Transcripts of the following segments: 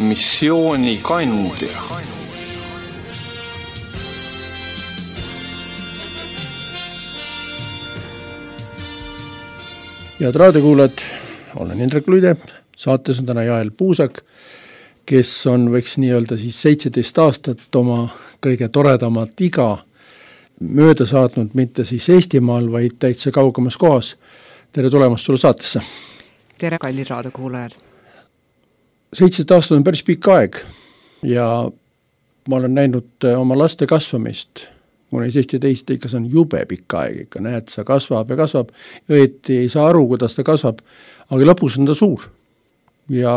missiooni kandja. Head raadiokuulajad, olen Indrek Luide, saates on täna Jael Puusak, kes on, võiks nii öelda, siis 17 aastat oma kõige toredamat iga mööda saatnud, mitte siis Eestimaal, vaid täitsa kaugemas kohas. Tere tulemast sulle saatesse. Tere, kallid raadiokuulajad. 17 aastat on päris pikk aeg ja ma olen näinud oma laste kasvamist. Kuni 17 ikka see on jube pikk aeg, ikka näed, sa kasvab ja kasvab, õieti ei saa aru, kuidas ta kasvab, aga lõpus on ta suur. Ja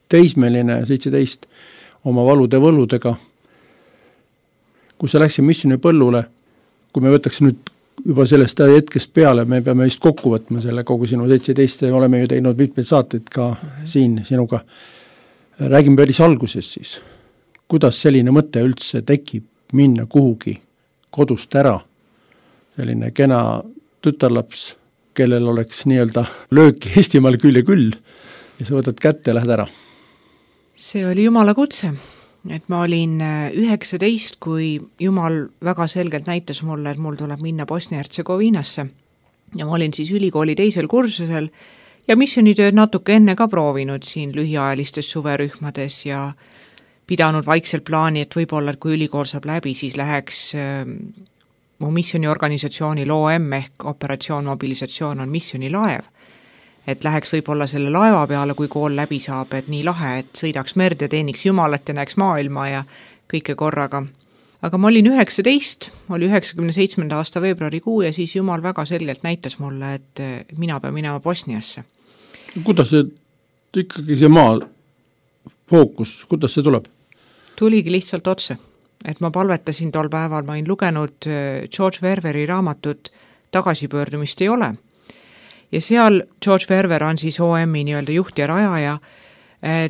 teismeline 17 oma valude võlludega, kui sa läksid missiooni põllule, kui me võtaks nüüd juba sellest hetkest peale, me peame vist kokku võtma selle kogu sinu 17, oleme ju teinud mitmeid saateid ka siin sinuga. Räägime päris alguses siis, kuidas selline mõte üldse tekib minna kuhugi kodust ära, selline kena tütarlaps, kellel oleks nii-öelda lööki Eestimaal küll ja küll ja sa võtad kätte ja lähed ära. See oli Jumala kutse, et ma olin 19, kui Jumal väga selgelt näitas mulle, et mul tuleb minna Bosnia-Hertsegoviinasse ja ma olin siis ülikooli teisel kursusel ja missionitööd natuke enne ka proovinud siin lühiajalistes suverühmades ja pidanud vaikselt plaani, et võib-olla, et kui ülikool saab läbi, siis läheks mu missioniorganisatsioonil OM ehk operatsioon mobilisatsioon on missionilaev. Et läheks võib-olla selle laeva peale, kui kool läbi saab, et nii lahe, et sõidaks merd ja teeniks Jumalat ja näeks maailma ja kõike korraga. Aga ma olin 19, oli 97. aasta veebruarikuu ja siis Jumal väga selgelt näitas mulle, et mina pean minema Bosniasse. Kuidas see ikkagi see maa fookus, kuidas see tuleb? Tuligi lihtsalt otse, et ma palvetasin tol päeval, ma olin lugenud George Ververi raamatut Tagasipöördumist ei ole. Ja seal George Verver on siis OM-i nii-öelda juht ja rajaja.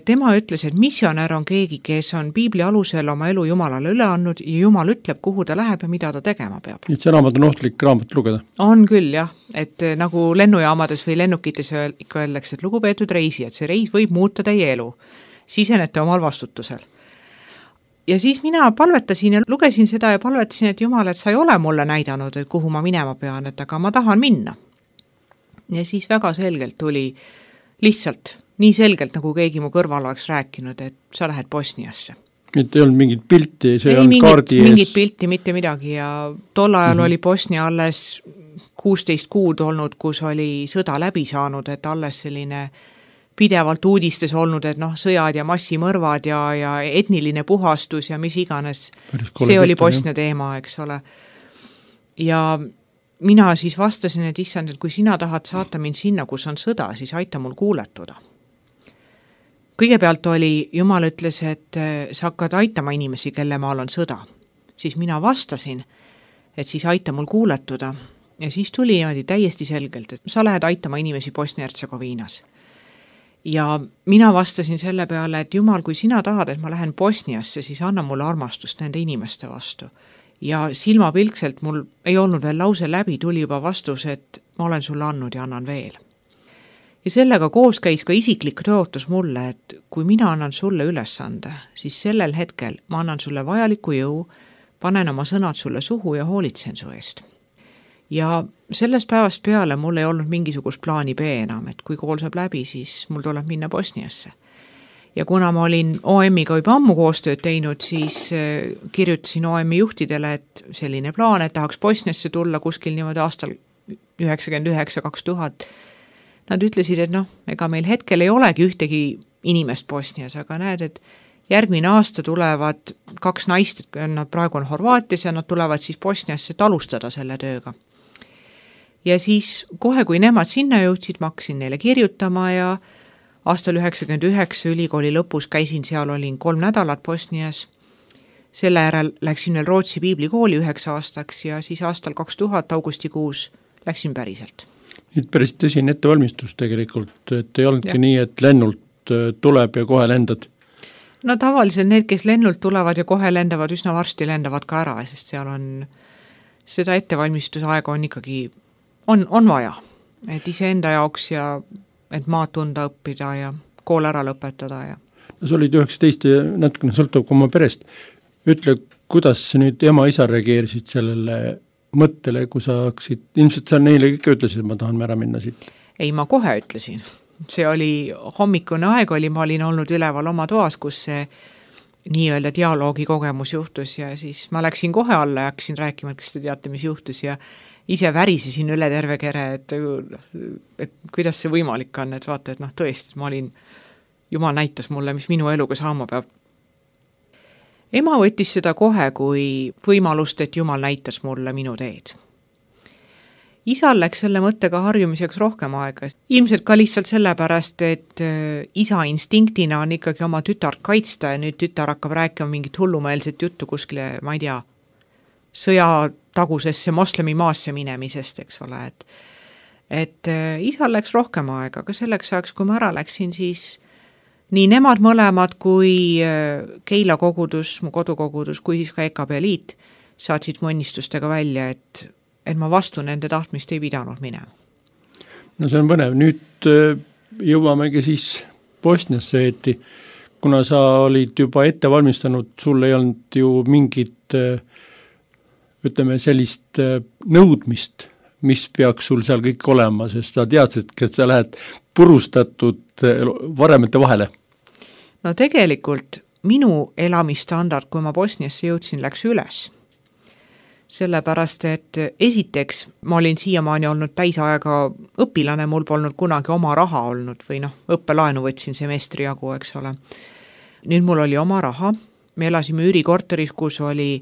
Tema ütles, et missionär on keegi, kes on Piibli alusel oma elu Jumalale üle andnud ja Jumal ütleb, kuhu ta läheb ja mida ta tegema peab. Et see raamat on ohtlik raamat lugeda? On küll, jah. Et nagu lennujaamades või lennukites ikka öeldakse, et lugupeetud reisi, et see reis võib muuta teie elu. Sisenete omal vastutusel. Ja siis mina palvetasin ja lugesin seda ja palvetasin, et Jumal, et sa ei ole mulle näidanud, et kuhu ma minema pean, et aga ma tahan minna. Ja siis väga selgelt tuli lihtsalt, nii selgelt, nagu keegi mu kõrval oleks rääkinud, et sa lähed Bosniasse. Et ei olnud mingit pilti, see on kaardi ees? Mingit pilti, mitte midagi ja tol ajal oli Bosnia alles 16 kuud olnud, kus oli sõda läbi saanud, et alles selline pidevalt uudistes olnud, et sõjad ja massimõrvad ja etniline puhastus ja mis iganes. See oli Bosnia teema, eks ole. Ja mina siis vastasin, et issand, et kui sina tahad saata mind sinna, kus on sõda, siis aita mul kuuletuda. Kõigepealt oli, Jumal ütles, et sa hakkad aitama inimesi, kelle maal on sõda. Siis mina vastasin, et siis aita mul kuuletuda. Ja siis tuli täiesti selgelt, et sa lähed aitama inimesi Bosnia-Hertsegoviinas. Ja mina vastasin selle peale, et Jumal, kui sina tahad, et ma lähen Bosniasse, siis anna mulle armastust nende inimeste vastu. Ja silmapilkselt mul ei olnud veel lause läbi, tuli juba vastus, et ma olen sulle andnud ja annan veel. Ja sellega koos käis ka isiklik tõotus mulle, et kui mina annan sulle ülesande, siis sellel hetkel ma annan sulle vajaliku jõu, panen oma sõnad sulle suhu ja hoolitsen su eest. Ja sellest päevast peale mul ei olnud mingisugust plaani B enam, et kui kool saab läbi, siis mul tuleb minna Bosniasse. Ja kuna ma olin OM-iga juba ammu koostööd teinud, siis kirjutasin OM-i juhtidele, et selline plaan, et tahaks Bosniasse tulla kuskil niimoodi aastal 99-2000. Nad ütlesid, et ega meil hetkel ei olegi ühtegi inimest Bosnias, aga näed, et järgmine aasta tulevad 2 naist, nad praegu on Horvaatias ja nad tulevad siis Bosniasse, et alustada selle tööga. Ja siis kohe, kui nemad sinna jõudsid, ma hakkasin neile kirjutama ja aastal 99 ülikooli lõpus käisin seal, olin 3 nädalat Bosnias. Selle järel läksin veel Rootsi piiblikooli 9 aastaks ja siis aastal 2000 augustikuus läksin päriselt. Nüüd päris tõsine ettevalmistus tegelikult, et ei olnudki nii, et lennult tuleb ja kohe lendad? No tavaliselt need, kes lennult tulevad ja kohe lendavad, üsna varsti lendavad ka ära, sest seal on seda ettevalmistusaega on ikkagi on vaja, et iseenda jaoks ja et maad tunda õppida ja kool ära lõpetada. Ja. sa olid 19 ja natukene sõltub oma perest. Ütle, kuidas nüüd ema-isa reageerisid sellele mõttele, kui sa hakkasid, ilmselt sa neile ikka ütlesid, et ma tahan ära minna siit? Ei, ma kohe ütlesin. See oli hommikune aeg oli, ma olin olnud üleval oma toas, kus see nii-öelda dialoogi kogemus juhtus ja siis ma läksin kohe alla ja hakkasin rääkima, et kas te teate, mis juhtus ja ise värisesin üle terve kere, et kuidas see võimalik on, et vaata, et tõesti, ma olin, Jumal näitas mulle, mis minu eluga saama peab. Ema võttis seda kohe kui võimalust, et Jumal näitas mulle minu teed. Isal läks selle mõttega harjumiseks rohkem aega. Ilmselt ka lihtsalt sellepärast, et isa instinktina on ikkagi oma tütart kaitsta ja nüüd tütar hakkab rääkima mingit hullumeelset juttu kuskile, ma ei tea, sõjatagusesse moslemi maasse minemisest, eks ole. Et isal läks rohkem aega, aga selleks ajaks, kui ma ära läksin, siis nii nemad mõlemad kui Keila kogudus, mu kodukogudus, kui siis ka EKP liit saatsid mu õnnistustega välja, et ma vastu nende tahtmist ei pidanud minema. No see on põnev. Nüüd jõuamegi siis Bosniasse, et kuna sa olid juba ette valmistanud, sul ei olnud ju mingit, ütleme, sellist nõudmist, mis peaks sul seal kõik olema, sest sa teadsid, et sa lähed purustatud varemete vahele. No tegelikult minu elamistandard, kui ma Bosniasse jõudsin, läks üles. Sellepärast, et esiteks ma olin siiamaani olnud täisaega õpilane, mul polnud kunagi oma raha olnud või õppelaenu võtsin semestri jagu, eks ole. Nüüd mul oli oma raha, me elasime üürikorteris, kus oli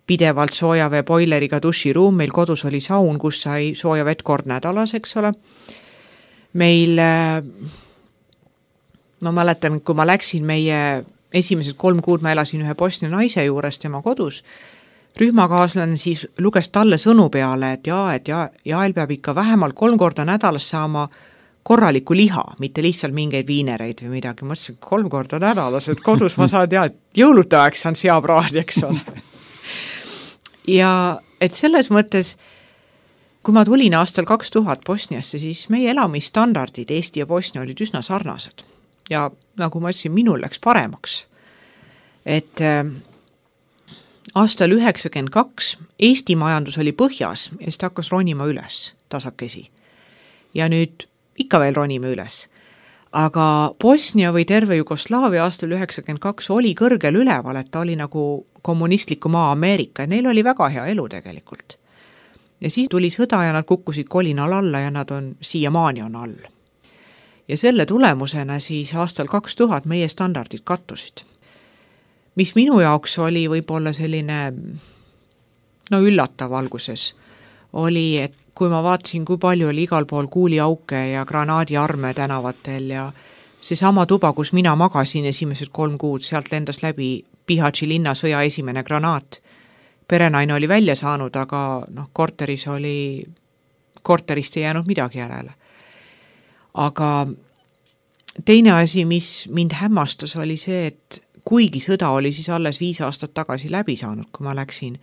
pidevalt soojavee boileriga duširuum, meil kodus oli saun, kus sai sooja vett kord nädalas, eks ole. Meil, ma mäletan, kui ma läksin meie esimesed 3 kuud, ma elasin ühe Bosnia naise juures tema kodus, rühmakaaslane siis luges talle sõnu peale, et Jael peab ikka vähemalt 3 korda nädalas saama korraliku liha, mitte lihtsalt mingeid viinereid või midagi. Ma mõtlesin, 3 korda nädalas, et kodus ma saan et jõulude aeg saan seapraadi, eks ole. Ja et selles mõttes, kui ma tulin aastal 2000 Bosniasse, siis meie elamistandardid Eesti ja Bosnia olid üsna sarnased. Ja nagu ma ütlesin, minul läks paremaks. Et aastal 92 Eesti majandus oli põhjas ja siis ta hakkas ronima üles tasakesi. Ja nüüd ikka veel ronime üles. Aga Bosnia või terve Jugoslaavia aastal 92 oli kõrgel üleval, et ta oli nagu kommunistliku maa Ameerika ja neil oli väga hea elu tegelikult. Ja siis tuli sõda ja nad kukkusid kolinal alla ja nad on siiamaani on all. Ja selle tulemusena siis aastal 2000 meie standardid kattusid. Mis minu jaoks oli võib-olla selline üllatav alguses, oli, et kui ma vaatasin, kui palju oli igal pool kuuliauke ja granaadiarme tänavatel ja seesama tuba, kus mina magasin esimesed 3 kuud, sealt lendas läbi Bihaći linnasõja esimene granaat. Perenaine oli välja saanud, aga korterist ei jäänud midagi järele. Aga teine asi, mis mind hämmastas, oli see, et kuigi sõda oli siis alles 5 aastat tagasi läbi saanud, kui ma läksin,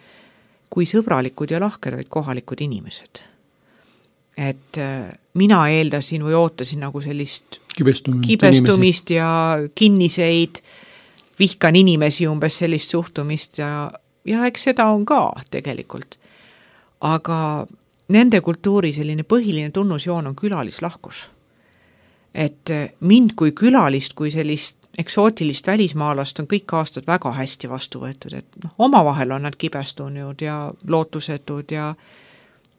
kui sõbralikud ja lahked olid kohalikud inimesed. Et mina eeldasin või ootasin nagu sellist kibestumist ja kinniseid, vihkan inimesi umbes sellist suhtumist ja eks seda on ka tegelikult. Aga nende kultuuri selline põhiline tunnusjoon on külalislahkus. Et mind kui külalist, kui sellist eksootilist välismaalast on kõik aastad väga hästi vastu võetud, et omavahel on nad kibestunud ja lootusetud ja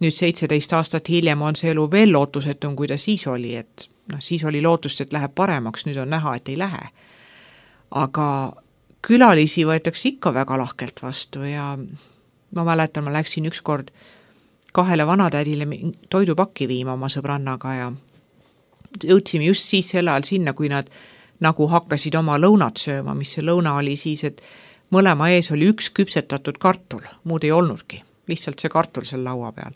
nüüd 17 aastat hiljem on see elu veel lootusetum, kui ta siis oli, et siis oli lootust, et läheb paremaks, nüüd on näha, et ei lähe. Aga külalisi võetakse ikka väga lahkelt vastu ja ma mäletan, ma läksin ükskord 2 vanatädile toidupakki viima oma sõbrannaga ja jõudsime just siis selle ajal sinna, kui nad nagu hakkasid oma lõunat sööma, mis see lõuna oli siis, et mõlema ees oli 1 küpsetatud kartul, muud ei olnudki, lihtsalt see kartul seal laua peal.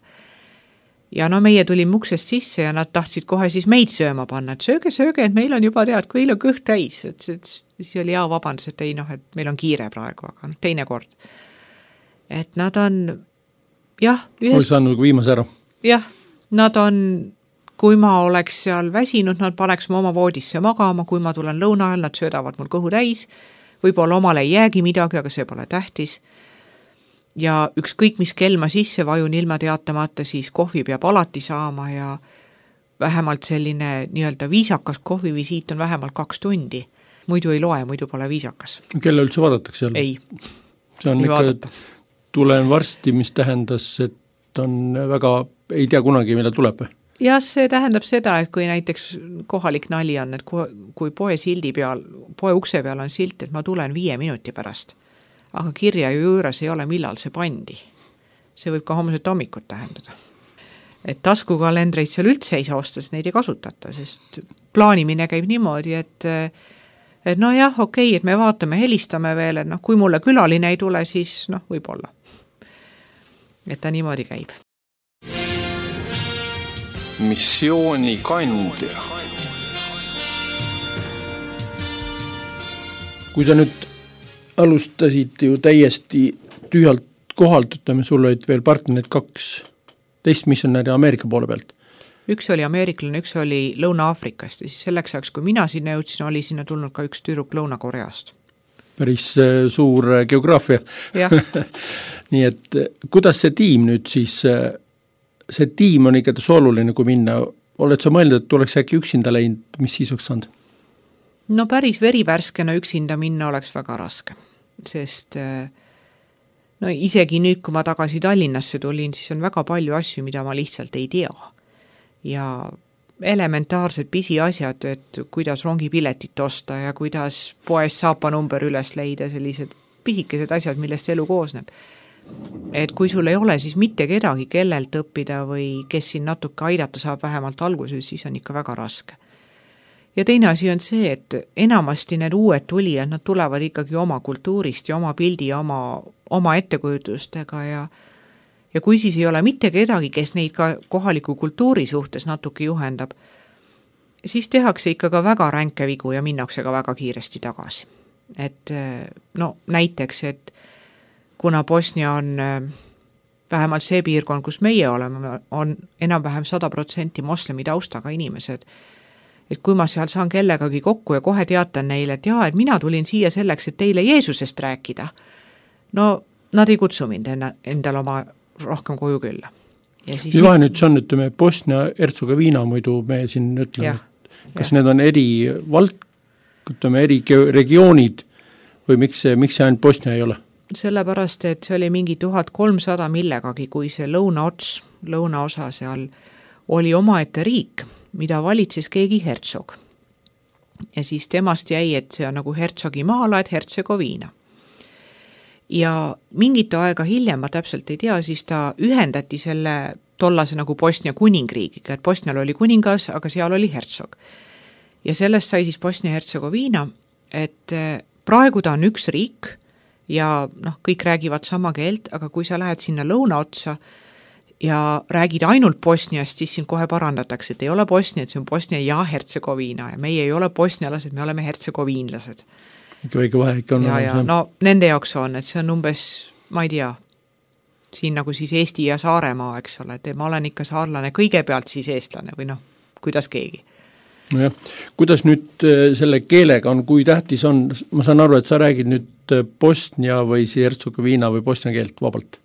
Ja meie tulime uksest sisse ja nad tahtsid kohe siis meid sööma panna, et sööge, et meil on juba tead, kui meil on kõht täis, et siis oli hea vabandus, et ei et meil on kiire praegu, aga teine kord. Et nad on, jah. Oli saanud viimase ära. Jah, nad on kui ma oleks seal väsinud, nad paneks ma oma voodisse magama, kui ma tulen lõuna ajal, nad söödavad mul kõhu täis, võib-olla omale ei jäägi midagi, aga see pole tähtis. Ja ükskõik mis kell ma sisse vajun ilma teatamata, siis kohvi peab alati saama ja vähemalt selline nii-öelda viisakas kohvivisiit on vähemalt 2 tundi. Muidu ei loe, muidu pole viisakas. Kelle üldse vaadatakse seal? Ei, see on ei ikka, vaadata. Tulen varsti, mis tähendas, et on väga, ei tea kunagi, mille tuleb. Ja see tähendab seda, et kui näiteks kohalik nali on, et kui poe sildi peal, poe ukse peal on silt, et ma tulen 5 minuti pärast, aga kirja ju juures ei ole, millal see pandi. See võib ka homset hommikut tähendada. Et taskukalendreid seal üldse ei saa osta, neid ei kasutata, sest plaanimine käib niimoodi, et no jah, okei, et me vaatame, helistame veel, et kui mulle külaline ei tule, siis võib-olla. Et ta niimoodi käib. Missioonikandja. Kui sa nüüd alustasid ju täiesti tühjalt kohalt, ütleme, sul olid veel partnerid 2 teist missionäri Ameerika poole pealt. Üks oli ameeriklane, üks oli Lõuna-Aafrikast ja siis selleks ajaks, kui mina sinna jõudsin, oli sinna tulnud ka üks tüdruk Lõuna-Koreast. Päris suur geograafia. Nii et kuidas see tiim nüüd siis, see tiim on ikka oluline, kui minna, oled sa mõelnud, et oleks äkki üksinda läinud, mis siis oleks saanud? No päris verivärskena üksinda minna oleks väga raske, sest isegi nüüd, kui ma tagasi Tallinnasse tulin, siis on väga palju asju, mida ma lihtsalt ei tea. Ja elementaarsed pisiasjad, et kuidas rongipiletit osta ja kuidas poes saapanumber üles leida, sellised pisikesed asjad, millest elu koosneb. Et kui sul ei ole siis mitte kedagi, kellelt õppida või kes siin natuke aidata saab vähemalt alguses, siis on ikka väga raske. Ja teine asi on see, et enamasti need uued tulijad, nad tulevad ikkagi oma kultuurist ja oma pildi ja oma ettekujutustega ja kui siis ei ole mitte kedagi, kes neid ka kohaliku kultuuri suhtes natuke juhendab, siis tehakse ikka ka väga ränke vigu ja minnakse ka väga kiiresti tagasi. Et näiteks, et kuna Bosnia on vähemalt see piirkond, kus meie oleme, on enam-vähem 100% moslemi taustaga inimesed, et kui ma seal saan kellegagi kokku ja kohe teatan neile, et et mina tulin siia selleks, et teile Jeesusest rääkida, nad ei kutsu mind endal oma rohkem koju külla. Ja siis nüüd see on, ütleme, Bosnia-Hertsegoviina muidu me siin ütleme, kas need on eri regioonid või miks see ainult Bosnia ei ole? Sellepärast, et see oli mingi 1300 millegagi, kui see lõunaosa seal oli omaette riik, mida valitses keegi hertsog. Ja siis temast jäi, et see on nagu hertsogi maala, et Hertsegoviina. Ja mingit aega hiljem, ma täpselt ei tea, siis ta ühendati selle tollase nagu Bosnia kuningriigiga, et Bosnial oli kuningas, aga seal oli hertsog. Ja sellest sai siis Bosnia-Hertsegoviina, et praegu ta on üks riik ja kõik räägivad sama keelt, aga kui sa lähed sinna lõunaotsa ja räägid ainult Bosniast, siis sind kohe parandatakse, et ei ole Bosnia, et see on Bosnia ja Hertsegoviina ja meie ei ole bosnialased, me oleme hertsegoviinlased. Ikka väike vahe ikka on. Ja nende jaoks on, et see on umbes, ma ei tea, siin nagu siis Eesti ja Saaremaa, eks ole, et ma olen ikka saarlane kõigepealt siis eestlane või kuidas keegi. Nojah, kuidas nüüd selle keelega on, kui tähtis on, ma saan aru, et sa räägid nüüd Bosnia või Hertsegoviina või Bosnia keelt vabalt?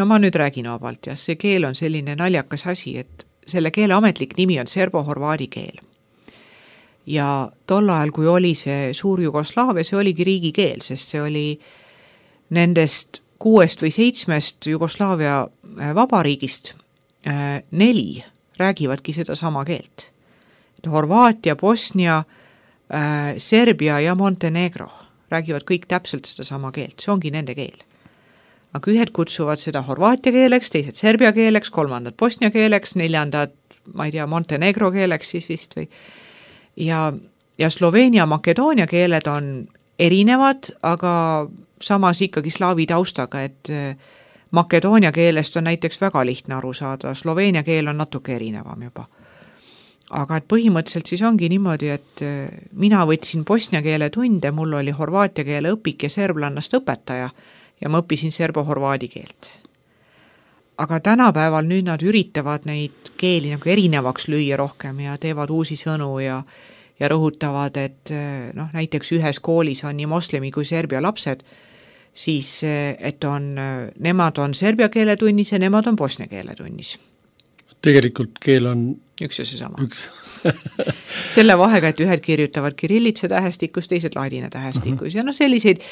No ma nüüd räägin vabalt ja see keel on selline naljakas asi, et selle keele ametlik nimi on serbo-horvaadi keel. Ja tol ajal, kui oli see suur Jugoslaavia, see oligi riigikeel, sest see oli nendest 6 või 7 Jugoslaavia vabariigist 4 räägivadki seda sama keelt. Horvaatia, Bosnia, Serbia ja Montenegro räägivad kõik täpselt seda sama keelt, see ongi nende keel. Aga ühed kutsuvad seda horvaatia keeleks, teised serbia keeleks, 3. Bosnia keeleks, 4. ma ei tea, Montenegro keeleks siis vist või. Ja Sloveenia, Makedoonia keeled on erinevad, aga samas ikkagi slaavi taustaga, et Makedoonia keelest on näiteks väga lihtne aru saada, Sloveenia keel on natuke erinevam juba. Aga et põhimõtteliselt siis ongi niimoodi, et mina võtsin bosnia keele tunde, mul oli horvaatia keele õpik ja serblannast õpetaja ja ma õppisin serbo-horvaadi keelt. Aga tänapäeval nüüd nad üritavad neid keeli nagu erinevaks lüüa rohkem ja teevad uusi sõnu ja rõhutavad, et noh, näiteks ühes koolis on nii moslemi kui serbia lapsed, siis et nemad on serbia keeletunnis ja nemad on bosnia keeletunnis. Tegelikult keel on üks ja see sama. Selle vahega, et ühed kirjutavad kirillitsa tähestikus, teised ladina tähestikus ja noh, selliseid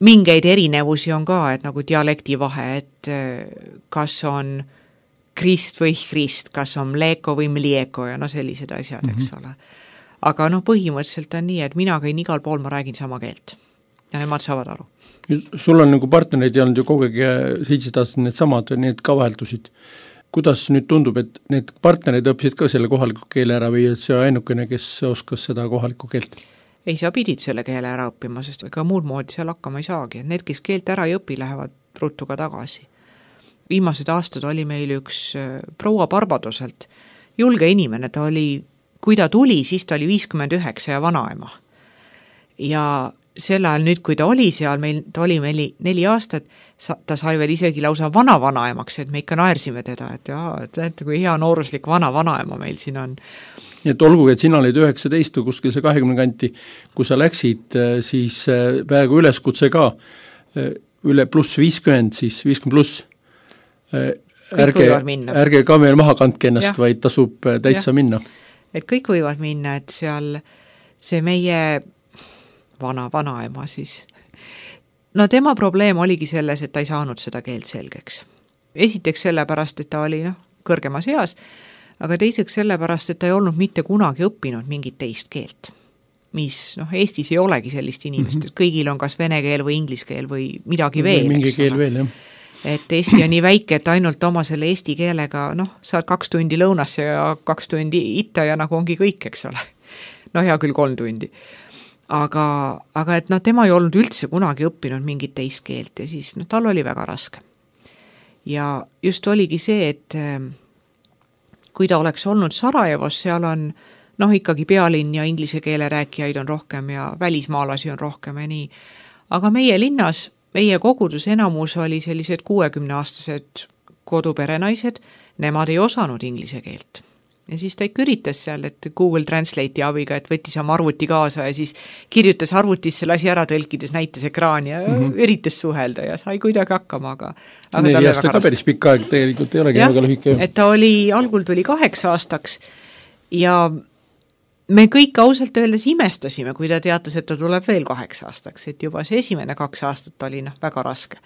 mingeid erinevusi on ka, et nagu dialekti vahe, et kas on krist või krist, kas on mleko või mlieko ja no sellised asjad, eks ole. Aga noh, põhimõtteliselt on nii, et mina käin igal pool, ma räägin sama keelt ja nemad saavad aru. Sul on nagu partnereid ja olnud ju kogu aeg 17 aastat need samad, need ka vaheldusid. Kuidas nüüd tundub, et need partnerid õppisid ka selle kohaliku keele ära või see ainukene, kes oskas seda kohalikku keelt? Ei, sa pidid selle keele ära õppima, sest ega muud moodi seal hakkama ei saagi. Need, kes keelt ära ei õpi, lähevad ruttu ka tagasi. Viimased aastad oli meil üks proua Barbadoselt julge inimene, kui ta tuli, siis ta oli 59 ja vanaema. Ja sel ajal nüüd, kui ta oli seal, ta oli meil 4 aastat, ta sai veel isegi lausa vanaemaks, et me ikka naersime teda, et kui hea nooruslik vanaema meil siin on. Nii et olgugi, et sina olid 19 või kuskil see 20 kanti, kui sa läksid, siis praegu üleskutse ka üle pluss 50, siis 50 pluss. Ärge ka meil maha kandke ennast, vaid tasub täitsa minna. Et kõik võivad minna, et seal see meie vanaema siis. No tema probleem oligi selles, et ta ei saanud seda keelt selgeks. Esiteks sellepärast, et ta oli kõrgemas eas, aga teiseks sellepärast, et ta ei olnud mitte kunagi õppinud mingit teist keelt. Mis Eestis ei olegi sellist inimest, et kõigil on kas vene keel või inglise keel või midagi veel. Mingi keel veel, jah. Et Eesti on nii väike, et ainult oma selle eesti keelega, saad 2 tundi lõunasse ja 2 tundi itta ja nagu ongi kõik, eks ole. Hea küll 3 tundi. Aga et tema ei olnud üldse kunagi õppinud mingit teist keelt ja siis tal oli väga raske. Ja just oligi see, et kui ta oleks olnud Sarajevos, seal on ikkagi pealinn ja inglise keele rääkijaid on rohkem ja välismaalasi on rohkem ja nii. Aga meie linnas, meie kogudus enamus oli sellised 60-aastased koduperenaised, nemad ei osanud inglise keelt. Ja siis ta ikka üritas seal, et Google Translate'i abiga, et võttis oma arvuti kaasa ja siis kirjutas arvutisse, lasi ära tõlkides, näitas ekraani ja üritas suhelda ja sai kuidagi hakkama, aga 4 aasta ka päris pikk aeg tegelikult ei olegi väga lühike. Et ta algul tuli 8 aastaks ja me kõik ausalt öeldes imestasime, kui ta teatas, et ta tuleb veel 8 aastaks, et juba see esimene 2 aastat oli väga raske.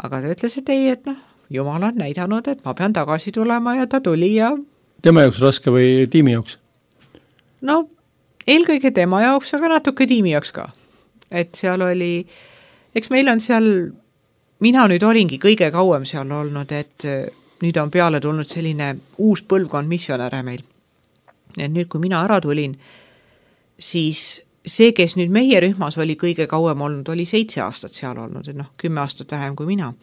Aga ta ütles, et ei, et Jumal on näidanud, et ma pean tagasi tulema ja ta tuli ja tema jaoks raske või tiimi jaoks? Eelkõige tema jaoks, aga natuke tiimi jaoks ka. Et seal oli, eks meil on seal, mina nüüd olingi kõige kauem seal olnud, et nüüd on peale tulnud selline uus põlvkond missionäre meil. Et nüüd, kui mina ära tulin, siis see, kes nüüd meie rühmas oli kõige kauem olnud, oli 7 aastat seal olnud, et 10 aastat vähem kui mina.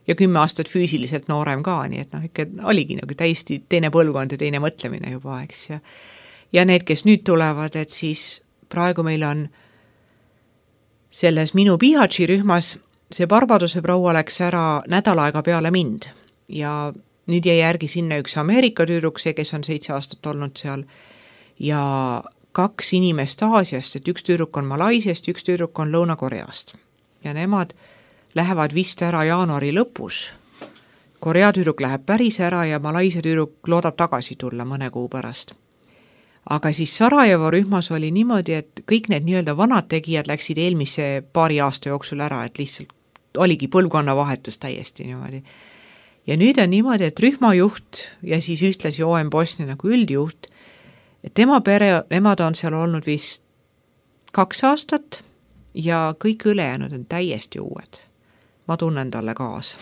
Ja 10 aastat füüsiliselt noorem ka, nii et ikka oligi täiesti teine põlvkond ja teine mõtlemine juba, eks. Ja need, kes nüüd tulevad, et siis praegu meil on selles minu Pihatši rühmas see Barbadose proua läks ära nädal aega peale mind ja nüüd jäi järgi sinna üks Ameerika tüdruk, see, kes on 7 aastat olnud seal ja 2 inimest Aasiast, et üks tüdruk on Malaisiast, üks tüdruk on Lõuna-Koreast ja nemad lähevad vist ära jaanuari lõpus. Korea tüdruk läheb päris ära ja Malaisia tüdruk loodab tagasi tulla mõne kuu pärast. Aga siis Sarajevo rühmas oli niimoodi, et kõik need nii-öelda vanad tegijad läksid eelmise paari aasta jooksul ära, et lihtsalt oligi põlvkonna vahetus täiesti niimoodi. Ja nüüd on niimoodi, et rühmajuht ja siis ühtlasi OM Bosnia nagu üldjuht, et tema pere, nemad on seal olnud vist 2 aastat ja kõik ülejäänud on täiesti uued. Ma tunnen talle kaasa.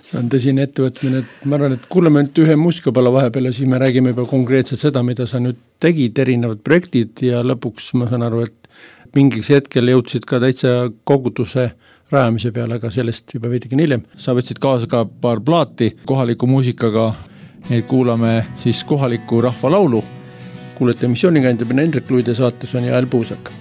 See on tõsine ettevõtmine, et ma arvan, et kuuleme nüüd ühe muusikapala vahepeal ja siis me räägime juba konkreetselt seda, mida sa nüüd tegid, erinevad projektid ja lõpuks ma saan aru, et mingiks hetkel jõudsid ka täitsa koguduse rajamise peale, aga sellest juba veidigi hiljem. Sa võtsid kaasa ka paar plaati kohaliku muusikaga, neid kuulame siis kohaliku rahvalaulu. Kuulete missioonikandiga Hendrik Luide, saates on Jael Puusak.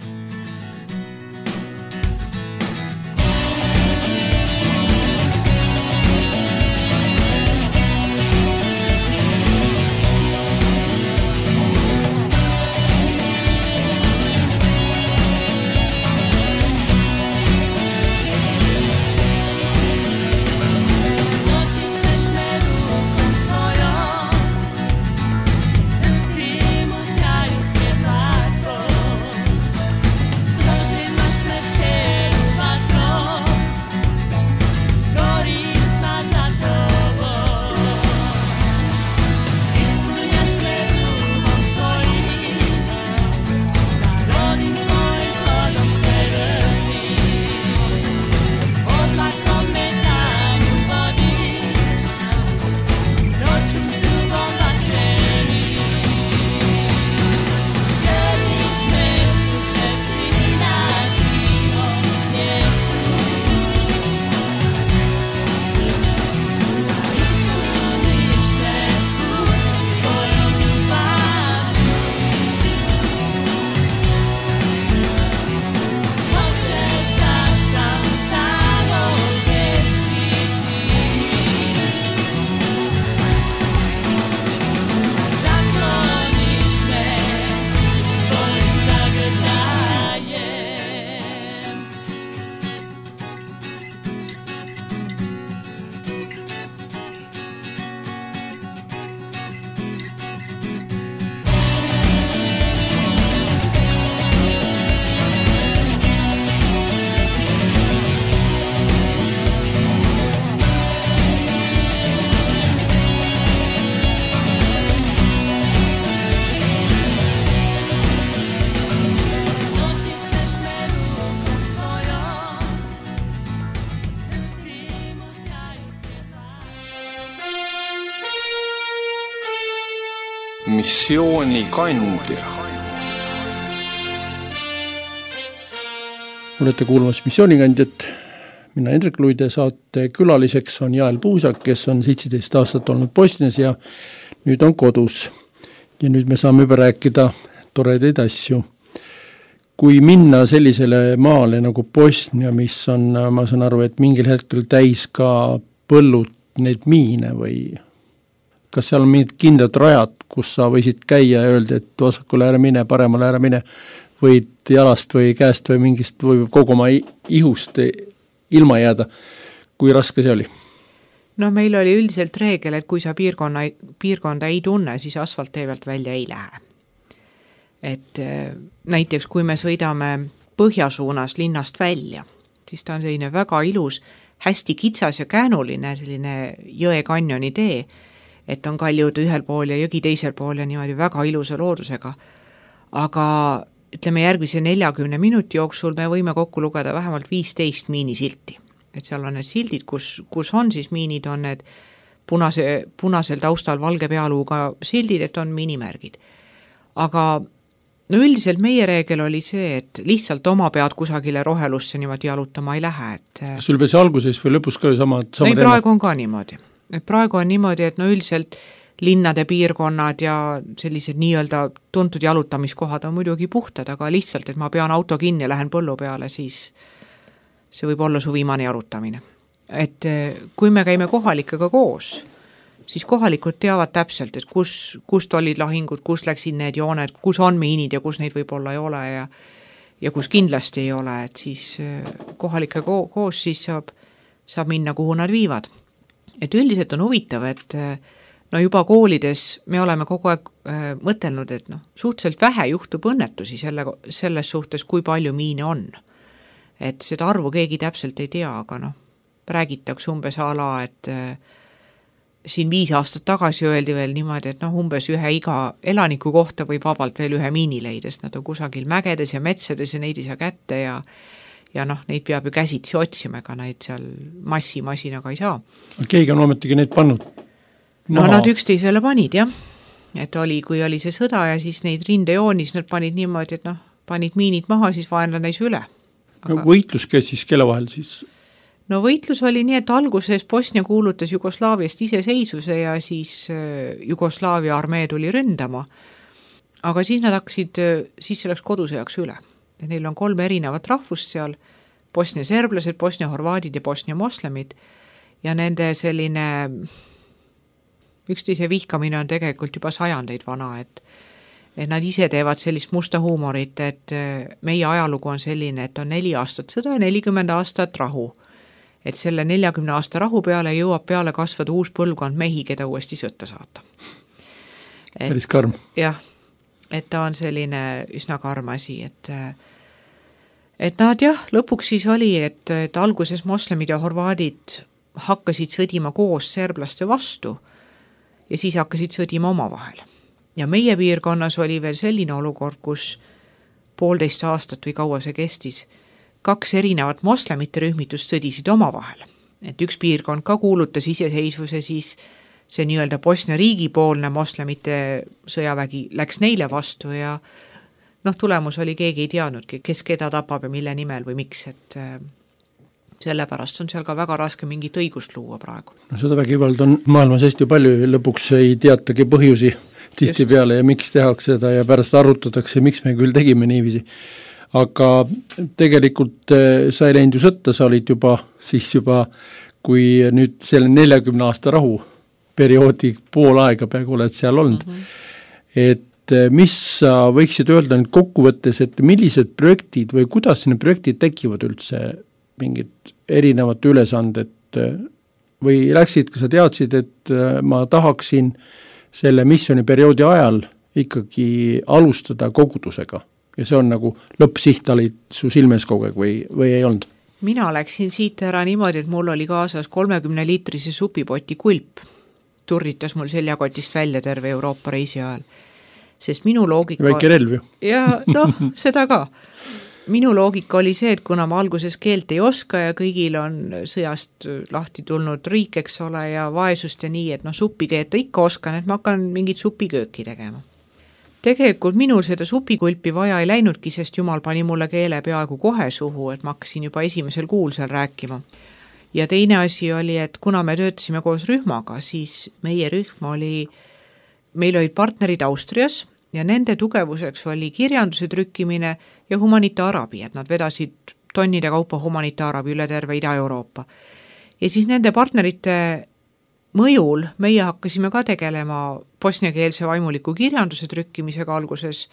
missioonikandja. Olete kuulmas missioonikandjat. Mina Hendrik Luide, saate külaliseks on Jael Puusak, kes on 17 aastat olnud Bosnias ja nüüd on kodus. Ja nüüd me saame juba rääkida toredaid asju. Kui minna sellisele maale nagu Bosnia, mis on, ma saan aru, et mingil hetkel täis ka põllud neid miine või kas seal on mingid kindlad rajad, kus sa võisid käia ja öelda, et vasakule ära mine, paremale ära mine, võid jalast või käest või mingist või kogu oma ihust ilma jääda. Kui raske see oli? No meil oli üldiselt reegel, et kui sa piirkonda ei tunne, siis asfalttee pealt välja ei lähe. Et näiteks kui me sõidame põhjasuunas linnast välja, siis ta on selline väga ilus, hästi kitsas ja käänuline selline jõe kanjoni tee, et on kaljud ühel pool ja jõgi teisel pool ja niimoodi väga ilusa loodusega. Aga ütleme järgmise 40 minuti jooksul me võime kokku lugeda vähemalt 15 miinisilti. Et seal on need sildid, kus on siis miinid, on need punasel taustal valge pealuuga sildid, et on miinimärgid. Aga no üldiselt meie reegel oli see, et lihtsalt oma pead kusagile rohelusse niimoodi jalutama ei lähe. Sul peas alguses või lõpus ka ju sama teema? Praegu on ka niimoodi. Et praegu on niimoodi, et no üldiselt linnade piirkonnad ja sellised nii-öelda tuntud jalutamiskohad on muidugi puhtad, aga lihtsalt, et ma pean auto kinni ja lähen põllu peale, siis see võib olla su viimane jalutamine. Et kui me käime kohalikega koos, siis kohalikud teavad täpselt, et kust olid lahingud, kus läksid need jooned, kus on miinid ja kus neid võib-olla ei ole ja kus kindlasti ei ole, et siis kohalike koos siis saab minna, kuhu nad viivad. Et üldiselt on huvitav, et no juba koolides me oleme kogu aeg mõtelnud, et suhteliselt vähe juhtub õnnetusi selles suhtes, kui palju miine on. Et seda arvu keegi täpselt ei tea, aga räägitakse umbes ala, et siin 5 aastat tagasi öeldi veel niimoodi, et umbes ühe iga elaniku kohta võib vabalt veel ühe miini leidest. Nad on kusagil mägedes ja metsades ja neid ei saa kätte ja neid peab ju käsitsi otsima, ega neid seal masinaga ei saa. Keegi on ometigi neid pannud? Nad üksteisele panid, jah. Et kui oli see sõda ja siis neid rindejoonis nad panid niimoodi, et panid miinid maha, siis vaenlane ei üle. Aga võitlus käis siis kelle vahel siis? No võitlus oli nii, et alguses Bosnia kuulutas Jugoslaaviast iseseisvuse ja siis Jugoslaavia armee tuli ründama. Aga siis nad hakkasid, siis see läks kodusõjaks üle. Neil on 3 erinevat rahvust seal, Bosnia serblased, Bosnia horvaadid ja Bosnia moslemid ja nende selline üksteise vihkamine on tegelikult juba sajandeid vana, et nad ise teevad sellist musta huumorit, et meie ajalugu on selline, et on 4 aastat sõda ja 40 aastat rahu. Et selle 40 aasta rahu peale jõuab peale kasvada uus põlvkond mehi, keda uuesti sõtta saata. Päris karm. Jah, et ta on selline üsna karm asi, et nad lõpuks siis oli, et alguses moslemid ja horvaadid hakkasid sõdima koos serblaste vastu ja siis hakkasid sõdima omavahel. Ja meie piirkonnas oli veel selline olukord, kus 1,5 aastat või kaua see kestis, 2 erinevat moslemite rühmitust sõdisid omavahel. Et üks piirkond ka kuulutas iseseisvuse, siis see nii-öelda Bosnia riigipoolne moslemite sõjavägi läks neile vastu ja tulemus oli, keegi ei teadnud, kes keda tapab ja mille nimel või miks, et sellepärast on seal ka väga raske mingit õigust luua praegu. Seda vägivald on maailmas hästi palju ja lõpuks ei teatagi põhjusi tihti peale ja miks tehakse seda ja pärast arutatakse, miks me küll tegime niiviisi. Aga tegelikult sa ei läinud ju sõtta, sa olid juba, kui nüüd selle 40 aasta rahu perioodi pool aega peaaegu oled seal olnud. Et mis sa võiksid öelda nüüd kokkuvõttes, et millised projektid või kuidas need projektid tekivad üldse, mingid erinevad ülesanded või läksid, kas sa teadsid, et ma tahaksin selle missiooniperioodi ajal ikkagi alustada kogudusega? Ja see on nagu lõppsiht olid su silmes kogu aeg või ei olnud? Mina läksin siit ära niimoodi, et mul oli kaasas 30-liitrise supipoti kulp. Turritas mul seljakotist välja terve Euroopa reisi ajal. Sest minu loogika... Väike relv ju. Ja seda ka. minu loogika oli see, et kuna ma alguses keelt ei oska ja kõigil on sõjast lahti tulnud riik, eks ole, ja vaesust ja nii, et suppi keeta ikka oskan, et ma hakkan mingit supikööki tegema. Tegelikult minul seda supikulpi vaja ei läinudki, sest Jumal pani mulle keele peaaegu kohe suhu, et ma hakkasin juba esimesel kuul seal rääkima. Ja teine asi oli, et kuna me töötasime koos rühmaga, siis meie rühm meil olid partnerid Austrias ja nende tugevuseks oli kirjanduse trükkimine ja humanitaarabi, et nad vedasid tonnide kaupa humanitaarabi üle terve Ida-Euroopa. Ja siis nende partnerite mõjul meie hakkasime ka tegelema bosniakeelse vaimuliku kirjanduse trükkimisega alguses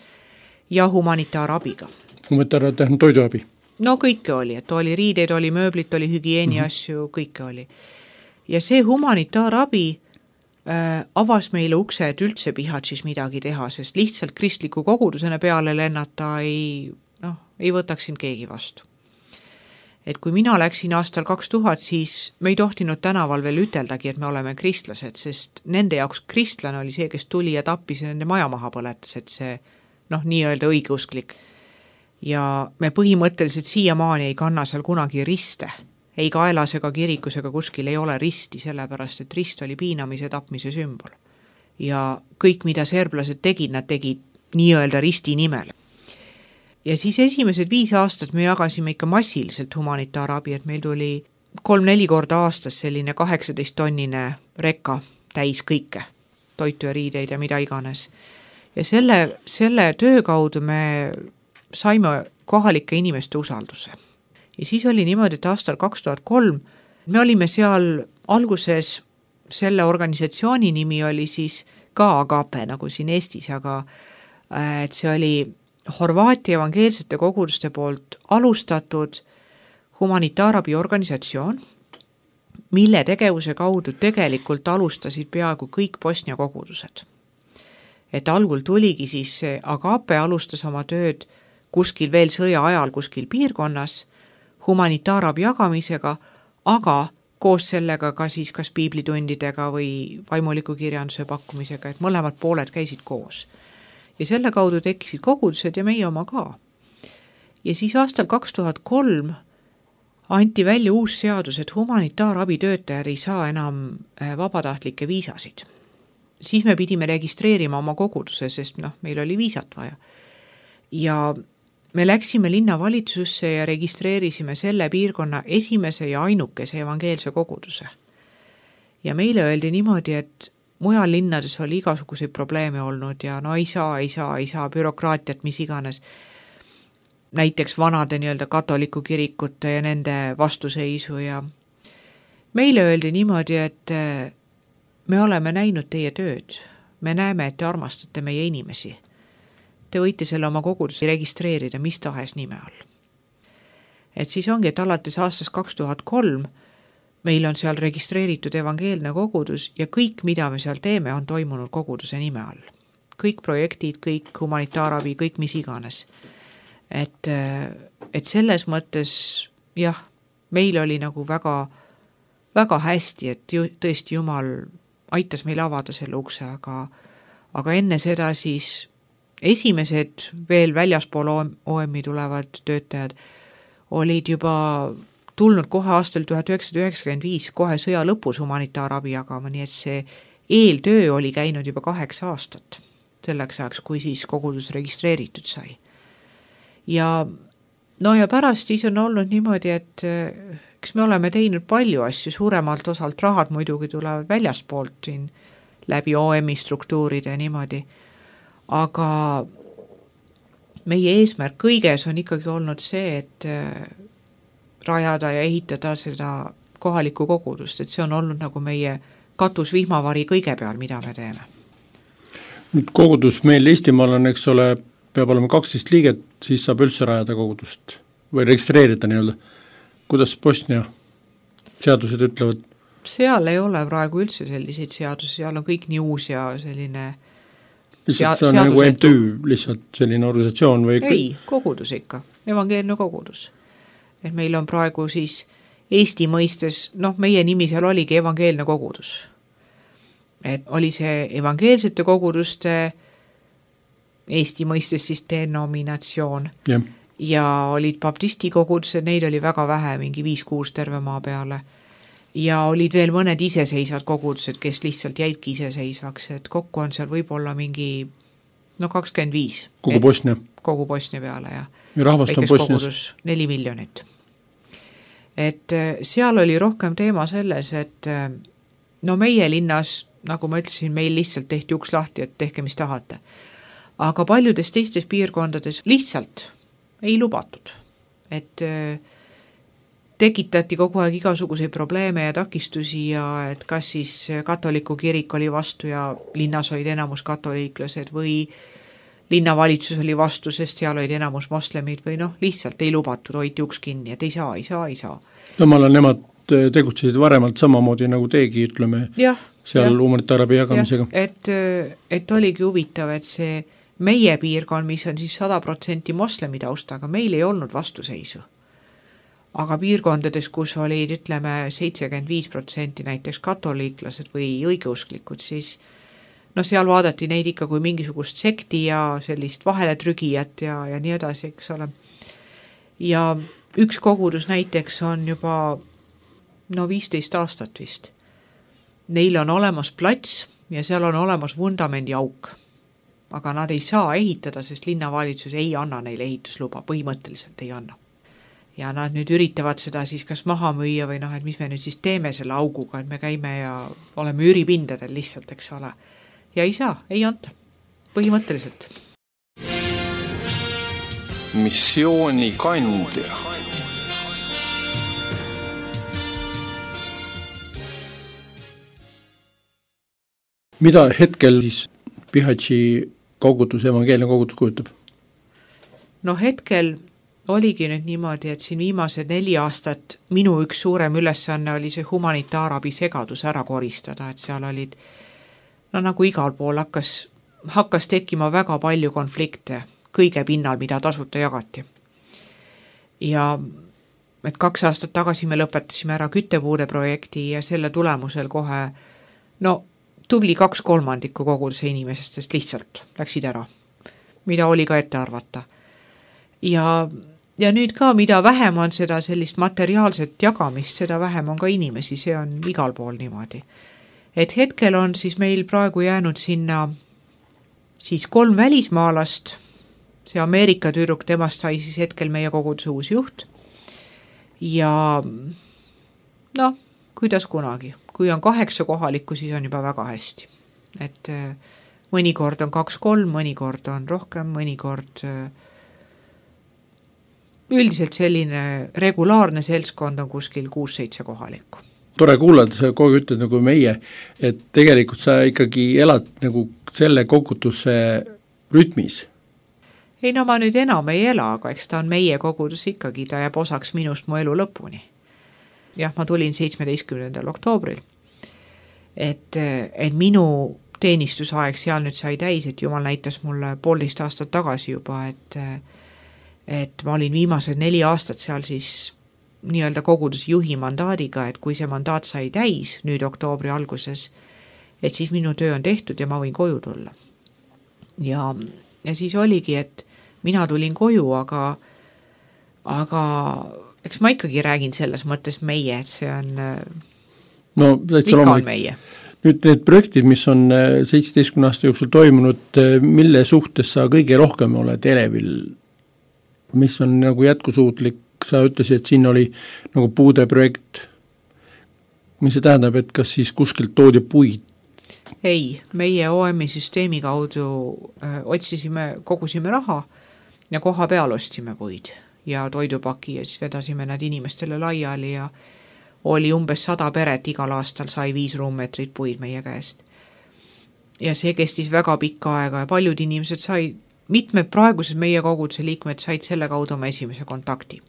ja humanitaarabiga. Humanitaarabi on toiduabi? No kõike oli, et oli riideid, oli mööblit, oli hügieeni asju, kõike oli. Ja see humanitaarabi avas meile ukse, et üldse Bihaćis midagi teha, sest lihtsalt kristliku kogudusena peale lennata ei võtaks sind keegi vastu. Et kui mina läksin aastal 2000, siis me ei tohtinud tänaval veel üteldagi, et me oleme kristlased, sest nende jaoks kristlane oli see, kes tuli ja tappis ja nende maja maha põletas, et see nii-öelda õigeusklik. Ja me põhimõtteliselt siiamaani ei kanna seal kunagi riste. Ei kaelas ega kirikus ega kuskil ei ole risti, sellepärast et rist oli piinamise tapmise sümbol. Ja kõik, mida serblased tegid, nad tegid nii-öelda risti nimel. Ja siis esimesed 5 aastat me jagasime ikka massiliselt humanitaarabi, et meil tuli 3-4 korda aastas selline 18-tonnine rekka täis kõike, toitu ja riideid ja mida iganes. Ja selle töö kaudu me saime kohalike inimeste usalduse. Ja siis oli niimoodi, et aastal 2003 me olime seal alguses, selle organisatsiooni nimi oli siis ka Agape, nagu siin Eestis, aga et see oli Horvaatia evangeelsete koguduste poolt alustatud humanitaarabi organisatsioon, mille tegevuse kaudu tegelikult alustasid peaaegu kõik Bosnia kogudused. Et algul tuligi siis see Agape alustas oma tööd kuskil veel sõja ajal kuskil piirkonnas humanitaarabi jagamisega, aga koos sellega ka siis kas piiblitundidega või vaimuliku kirjanduse pakkumisega, et mõlemad pooled käisid koos. Ja selle kaudu tekkisid kogudused ja meie oma ka. Ja siis aastal 2003 anti välja uus seadus, et humanitaarabi töötajad ei saa enam vabatahtlikke viisasid. Siis me pidime registreerima oma koguduse, sest meil oli viisat vaja. Ja me läksime linnavalitsusse ja registreerisime selle piirkonna esimese ja ainukese evangeelse koguduse. Ja meile öeldi niimoodi, et mujal linnades oli igasuguseid probleeme olnud ja ei saa, bürokraatiat, mis iganes. Näiteks vanade nii-öelda katoliku kirikute ja nende vastuseisu ja meile öeldi niimoodi, et me oleme näinud teie tööd, me näeme, et te armastate meie inimesi. Te võite selle oma kogudusi registreerida mis tahes nime all. Et siis ongi, et alates aastast 2003 meil on seal registreeritud evangeelne kogudus ja kõik, mida me seal teeme, on toimunud koguduse nime all. Kõik projektid, kõik humanitaarabi, kõik mis iganes. Et selles mõttes, jah, meil oli nagu väga, väga hästi, et tõesti Jumal aitas meil avada selle ukse, aga enne seda siis esimesed veel väljaspool OM-i tulevad töötajad olid juba tulnud kohe aastal 1995, kohe sõja lõpus humanitaarabi jagama, nii et see eeltöö oli käinud juba 8 aastat selleks ajaks, kui siis kogudus registreeritud sai. Ja pärast siis on olnud niimoodi, et eks me oleme teinud palju asju, suuremalt osalt rahad muidugi tulevad väljaspoolt siin läbi OM-i struktuuride niimoodi. Aga meie eesmärk kõiges on ikkagi olnud see, et rajada ja ehitada seda kohalikku kogudust, et see on olnud nagu meie katusvihmavari kõige peal, mida me teeme. Nüüd kogudus meil Eestimaal on, eks ole, peab olema 12 liiget, siis saab üldse rajada kogudust või registreerida nii-öelda. Kuidas Bosnia seadused ütlevad? Seal ei ole praegu üldse selliseid seadusi, seal on kõik nii uus ja selline see on nagu MTÜ, lihtsalt selline organisatsioon või? Ei, kogudus ikka, evangeelne kogudus. Et meil on praegu siis Eesti mõistes, meie nimi seal oligi evangeelne kogudus. Et oli see evangeelsete koguduste Eesti mõistes siis denominatsioon. ja olid baptisti kogudused, neid oli väga vähe, mingi 5-6 terve maa peale. Ja olid veel mõned iseseisvad kogudused, kes lihtsalt jäidki iseseisvaks, et kokku on seal võib-olla mingi 25. Kogu Bosnia? Kogu Bosnia peale, jah. Ja rahvast on Bosnias? 4 miljonit. Et seal oli rohkem teema selles, et meie linnas, nagu ma ütlesin, meil lihtsalt tehti uks lahti, et tehke mis tahate. Aga paljudes teistes piirkondades lihtsalt ei lubatud, et tekitati kogu aeg igasuguseid probleeme ja takistusi ja et kas siis katoliku kirik oli vastu ja linnas olid enamus katoliiklased või linnavalitsus oli vastu, sest seal olid enamus moslemid või lihtsalt ei lubatud, hoiti uks kinni, et ei saa. Samal ajal nemad tegutsesid varemalt samamoodi nagu teegi, ütleme, seal humanitaarabi jagamisega. Et oligi huvitav, et see meie piirkond, mis on siis 100% moslemi taustaga, meil ei olnud vastuseisu. Aga piirkondades, kus olid, ütleme, 75% näiteks katoliiklased või õigeusklikud, siis seal vaadati neid ikka kui mingisugust sekti ja sellist vaheletrügijat ja nii edasi, eks ole. Ja üks kogudus näiteks on juba 15 aastat vist. Neil on olemas plats ja seal on olemas vundamendi auk. Aga nad ei saa ehitada, sest linnavalitsus ei anna neile ehitusluba, põhimõtteliselt ei anna. Ja nad nüüd üritavad seda siis kas maha müüa või et mis me nüüd siis teeme selle auguga, et me käime ja oleme üüripindadel lihtsalt, eks ole. Ja ei saa, ei anta, põhimõtteliselt. Missioonikandja. Mida hetkel siis Bihaći kogudus, evangeelne kogudus kujutab? Hetkel oligi nüüd niimoodi, et siin viimased 4 aastat minu üks suurem ülesanne oli see humanitaarabi segadus ära koristada, et seal olid, nagu igal pool hakkas tekkima väga palju konflikte kõige pinnal, mida tasuta jagati. Ja et 2 aastat tagasi me lõpetasime ära küttepuude projekti ja selle tulemusel kohe, tubli 2/3 koguduse inimesest lihtsalt läksid ära, mida oli ka ette arvata. Ja nüüd ka, mida vähem on seda sellist materiaalset jagamist, seda vähem on ka inimesi, see on igal pool niimoodi. Et hetkel on siis meil praegu jäänud sinna siis 3 välismaalast, see Ameerika tüdruk, temast sai siis hetkel meie koguduse uus juht. Ja kuidas kunagi. Kui on 8 kohalikku, siis on juba väga hästi. Et mõnikord on 2-3, mõnikord on rohkem, mõnikord üldiselt selline regulaarne seltskond on kuskil 6-7 kohalikku. Tore kuulada, sa kogu ütled nagu meie, et tegelikult sa ikkagi elad nagu selle koguduse rütmis. Ei, ma nüüd enam ei ela, aga eks ta on meie kogudus ikkagi, ta jääb osaks minust mu elu lõpuni. Jah, ma tulin 17. oktoobril. Et minu teenistusaeg seal nüüd sai täis, et Jumal näitas mulle 1,5 aastat tagasi juba, et ma olin viimased 4 aastat seal siis nii-öelda koguduse juhi mandaadiga, et kui see mandaat sai täis nüüd oktoobri alguses, et siis minu töö on tehtud ja ma võin koju tulla. Ja siis oligi, et mina tulin koju, aga eks ma ikkagi räägin selles mõttes meie, et see on ikka on meie. Nüüd need projektid, mis on 17 aasta jooksul toimunud, mille suhtes sa kõige rohkem oled elevil, mis on nagu jätkusuutlik, sa ütlesid, et siin oli nagu puude projekt, mis see tähendab, et kas siis kuskilt toodi puid? Ei, meie OM-i süsteemi kaudu kogusime raha ja koha peal ostsime puid ja toidupaki ja siis vedasime nad inimestele laiali ja oli umbes 100 peret, igal aastal sai 5 ruummeetrit puid meie käest. Ja see kestis väga pikka aega ja paljud inimesed sai, mitmed praegused meie koguduse liikmed said selle kaudu oma esimese kontakti.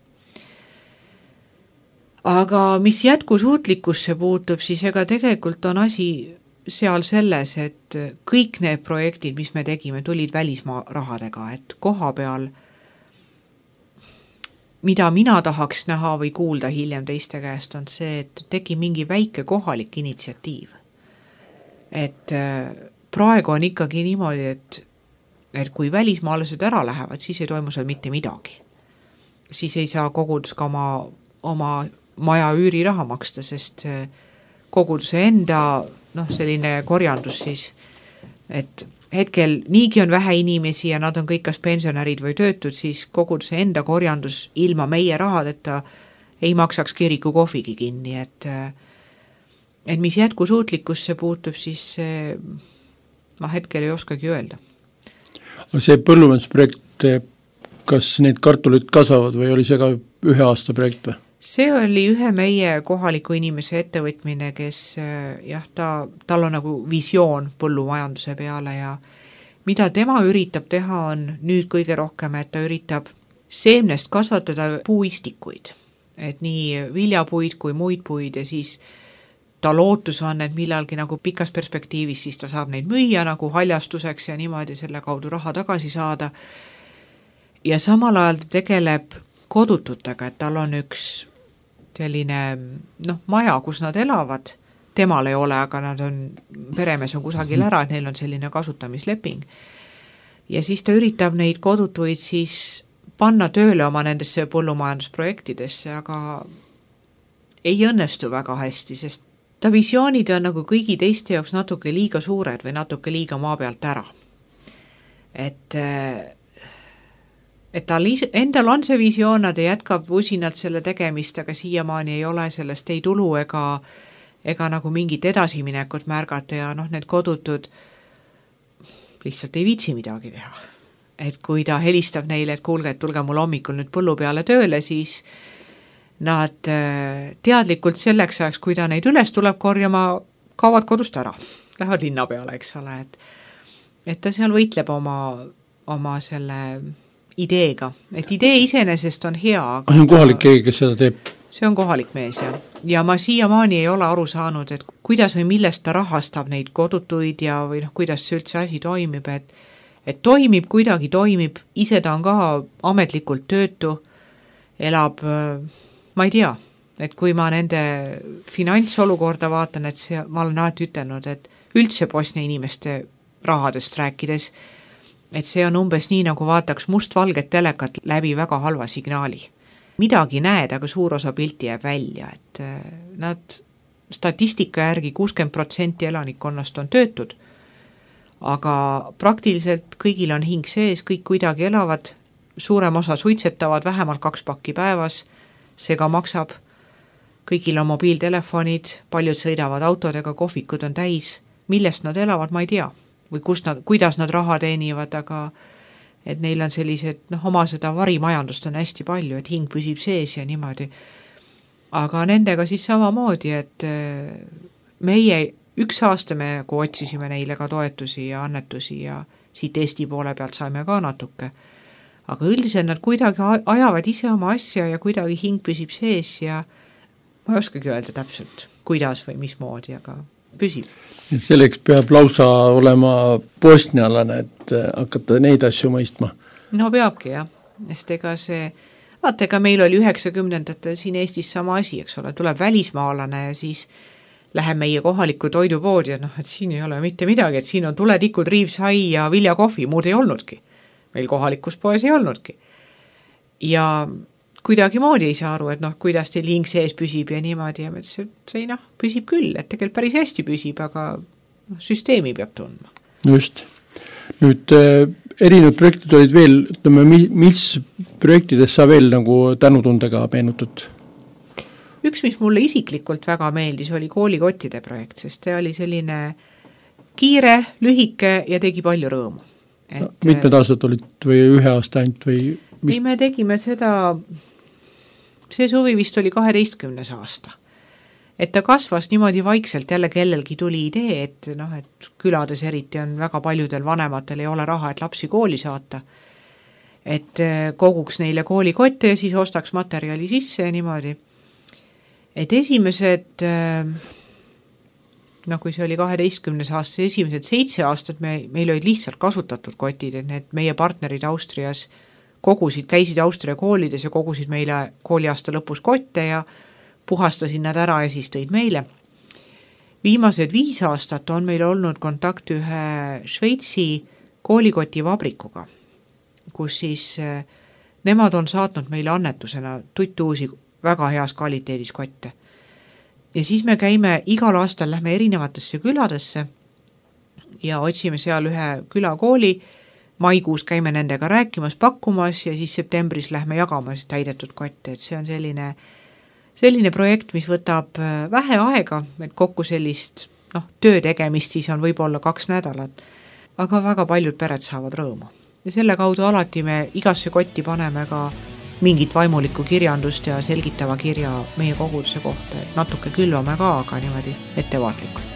Aga mis jätkusuutlikkusse puutub, siis ega tegelikult on asi seal selles, et kõik need projektid, mis me tegime, tulid välismaa rahadega, et koha peal, mida mina tahaks näha või kuulda hiljem teiste käest, on see, et tegi mingi väike kohalik initsiatiiv. Et praegu on ikkagi niimoodi, et kui välismaalased ära lähevad, siis ei toimu seal mitte midagi. siis ei saa kogudus ka oma maja üüriraha maksta, sest koguduse enda selline korjandus siis, et hetkel niigi on vähe inimesi ja nad on kõik kas pensionärid või töötud, siis koguduse enda korjandus ilma meie rahadeta ei maksaks kiriku kohvigi kinni, et mis jätkusuutlikkusse puutub, siis ma hetkel ei oskagi öelda. See põllumajandusprojekt, kas need kartulid kasvavad või oli see ka ühe aasta projekt või? See oli ühe meie kohaliku inimese ettevõtmine, kes tal on nagu visioon põllumajanduse peale ja mida tema üritab teha on nüüd kõige rohkem, et ta üritab seemnest kasvatada puuistikuid, et nii viljapuid kui muid puid ja siis ta lootus on, et millalgi nagu pikas perspektiivis siis ta saab neid müüa nagu haljastuseks ja niimoodi selle kaudu raha tagasi saada. Ja samal ajal ta tegeleb kodututega, et tal on üks selline maja, kus nad elavad, temal ei ole, aga nad on, peremees on kusagil ära, et neil on selline kasutamisleping. Ja siis ta üritab neid kodutuid siis panna tööle oma nendesse põllumajandusprojektidesse, aga ei õnnestu väga hästi, sest ta visioonid on nagu kõigi teiste jaoks natuke liiga suured või natuke liiga maa pealt ära. Et tal endal on see visioon, nad jätkab usinalt selle tegemist, aga siiamaani ei ole sellest ei tulu ega nagu mingit edasiminekut märgata ja need kodutud lihtsalt ei viitsi midagi teha. Et kui ta helistab neile, et kuulge, et tulge mul hommikul nüüd põllu peale tööle, siis nad teadlikult selleks ajaks, kui ta neid üles tuleb korjama, kaovad kodust ära, lähevad linna peale, eks ole, et ta seal võitleb oma selle ideega, et idee iseenesest on hea. Aga see on kohalik keegi, kes seda teeb? See on kohalik mees, ja ma siiamaani ei ole aru saanud, et kuidas või millest ta rahastab neid kodutuid ja või kuidas see üldse asi toimib, et toimib, kuidagi toimib, ise ta on ka ametlikult töötu, elab, ma ei tea, et kui ma nende finantsolukorda vaatan, et ma olen alati ütelnud, et üldse Bosnia inimeste rahadest rääkides, et see on umbes nii, nagu vaataks mustvalget telekat läbi väga halva signaali. Midagi näed, aga suur osa pilti jääb välja, et nad statistika järgi 60% elanikkonnast on töötud, aga praktiliselt kõigil on hing sees, kõik kuidagi elavad, suurem osa suitsetavad vähemalt 2 pakki päevas, see ka maksab, kõigil on mobiiltelefonid, paljud sõidavad autodega, kohvikud on täis, millest nad elavad, ma ei tea. Või kuidas nad raha teenivad, aga et neil on sellised, oma seda varimajandust on hästi palju, et hing püsib sees ja niimoodi. Aga nendega siis samamoodi, et meie 1 aasta me otsisime neile ka toetusi ja annetusi ja siit Eesti poole pealt saime ka natuke. Aga üldiselt nad kuidagi ajavad ise oma asja ja kuidagi hing püsib sees ja ma ei oskagi öelda täpselt, kuidas või mismoodi, aga püsib. Et selleks peab lausa olema bosnialane, et hakata neid asju mõistma. No peabki jah, sest ega meil oli 90-ndatel siin Eestis sama asi, eks ole, tuleb välismaalane ja siis läheb meie kohalikku toidupoodi ja et siin ei ole mitte midagi, et siin on tuletikud, riivsai ja viljakohvi, muud ei olnudki. Meil kohalikus poes ei olnudki. Ja kuidagi moodi ei saa aru, et kuidas teil hing sees püsib ja niimoodi ja see püsib küll, et tegelikult päris hästi püsib, aga süsteemi peab tundma. Just. Nüüd erinevad projektid olid veel, ütleme, mis projektides sa veel nagu tänutundega meenutad? Üks, mis mulle isiklikult väga meeldis, oli koolikottide projekt, sest see oli selline kiire, lühike ja tegi palju rõõmu. Mitmed aastad olid või 1 aasta ainult või? Ei, me tegime seda, see suvi vist oli 12. aasta. Et ta kasvas niimoodi vaikselt, jälle kellelgi tuli idee, et külades eriti on väga paljudel vanematel ei ole raha, et lapsi kooli saata. Et koguks neile koolikotte ja siis ostaks materjali sisse ja niimoodi. Et esimesed, kui see oli 12. aasta, esimesed 7 aastat meil olid lihtsalt kasutatud kotid, et need meie partnerid Austrias käisid Austria koolides ja kogusid meile kooliaasta lõpus kotte ja puhastasin nad ära ja siis tõid meile. Viimased 5 aastat on meil olnud kontakt ühe Šveitsi koolikoti vabrikuga, kus siis nemad on saatnud meile annetusena tuttuusi väga heas kvaliteedis kotte. Ja siis me käime igal aastal, lähme erinevatesse küladesse ja otsime seal ühe külakooli, maikuus käime nendega rääkimas, pakkumas ja siis septembris lähme jagamas täidetud kotte, et see on selline projekt, mis võtab vähe aega, et kokku sellist töö tegemist siis on võib-olla 2 nädalat, aga väga paljud pered saavad rõõmu. Ja selle kaudu alati me igasse kotti paneme ka mingit vaimulikku kirjandust ja selgitava kirja meie koguduse kohta, et natuke külvame ka, aga niimoodi ettevaatlikult.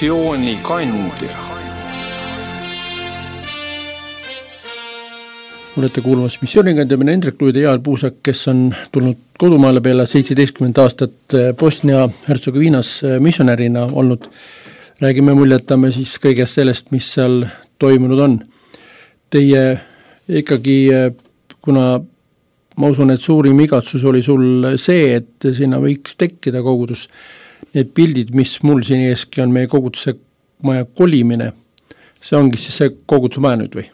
Missioonikandja. Olete kuulmas Missioonikandja, mina Hendrik Luide ja Jaal Puusak, kes on tulnud kodumaale peale 17 aastat Bosnia-Hertsegoviinas missionärina olnud. Räägime, muljetame siis kõigest sellest, mis seal toimunud on. Teie ikkagi, kuna ma usun, et suurim igatsus oli sul see, et sinna võiks tekkida kogudus. Need pildid, mis mul siin eeski on meie koguduse maja kolimine, see ongi siis see koguduse maja nüüd või?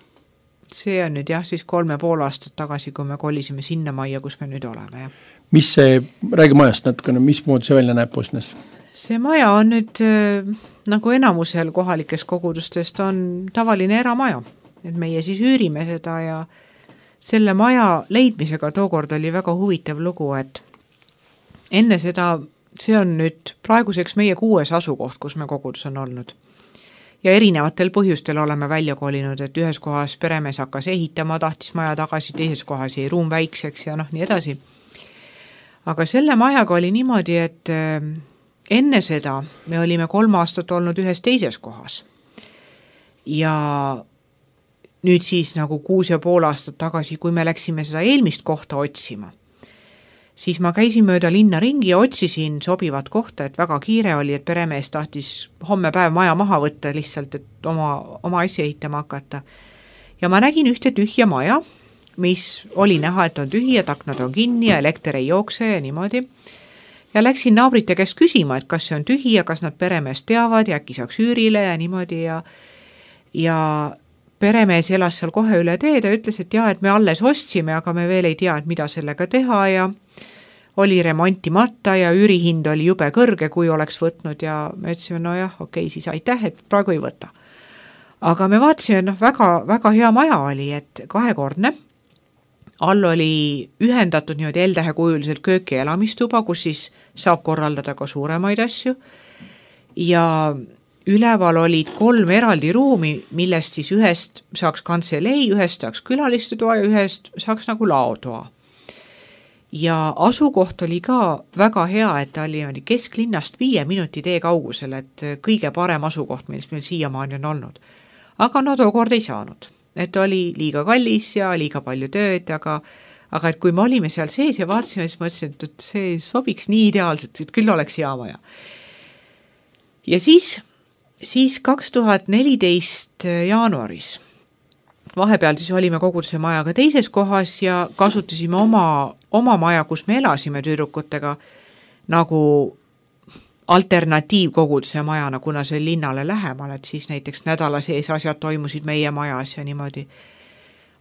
See on nüüd jah, siis 3,5 aastat tagasi, kui me kolisime sinna majja, kus me nüüd oleme. Ja. Mis see, räägi majast natukene, mismoodi see välja näeb Bosnias? See maja on nüüd, nagu enamusel kohalikest kogudustest, on tavaline eramaja. Et meie siis üürime seda ja selle maja leidmisega tookord oli väga huvitav lugu, et enne seda, see on nüüd praeguseks meie 6. asukoht, kus me kogudus on olnud. Ja erinevatel põhjustel oleme välja kolinud, et ühes kohas peremees hakkas ehitama, tahtis maja tagasi, teises kohas jäi ruum väikseks ja nii edasi. Aga selle majaga oli niimoodi, et enne seda me olime 3 aastat olnud ühes teises kohas. Ja nüüd siis nagu 6,5 aastat tagasi, kui me läksime seda eelmist kohta otsima, siis ma käisin mööda linna ringi ja otsisin sobivat kohta, et väga kiire oli, et peremees tahtis homme päev maja maha võtta lihtsalt, et oma asja ehitama hakata. Ja ma nägin ühte tühja maja, mis oli näha, et on tühi, et aknad on kinni ja elekter ei jookse ja niimoodi. Ja läksin naabrite käest küsima, et kas see on tühi ja kas nad peremeest teavad ja äkki saaks üürile ja niimoodi. Ja peremees elas seal kohe üle teed ja ütles, et jah, et me alles ostsime, aga me veel ei tea, et mida sellega teha ja oli remontimata ja üürihind oli jube kõrge, kui oleks võtnud ja me ütlesime, no jah, okei, siis aitäh, et praegu ei võta. Aga me vaatasime, väga, väga hea maja oli, et 2-kordne. All oli ühendatud niimoodi L-tähekujuliselt köök ja elamistuba, kus siis saab korraldada ka suuremaid asju. Ja üleval olid 3 eraldi ruumi, millest siis ühest saaks kantselei, ühest saaks külalistetoa ja ühest saaks nagu laotoa. Ja asukoht oli ka väga hea, et ta oli kesklinnast 5 minuti tee kaugusel, et kõige parem asukoht, millest meil siiamaani on olnud. Aga no tookord ei saanud, et oli liiga kallis ja liiga palju tööd, aga et kui me olime seal sees ja vaatasime, siis mõtlesin, et see sobiks nii ideaalselt, et küll oleks hea maja. Ja siis 2014 jaanuaris, vahepeal siis olime koguduse majaga teises kohas ja kasutasime oma maja, kus me elasime tüdrukutega, nagu alternatiivkoguduse majana, kuna see linnale lähemal, et siis näiteks nädala sees asjad toimusid meie majas ja niimoodi.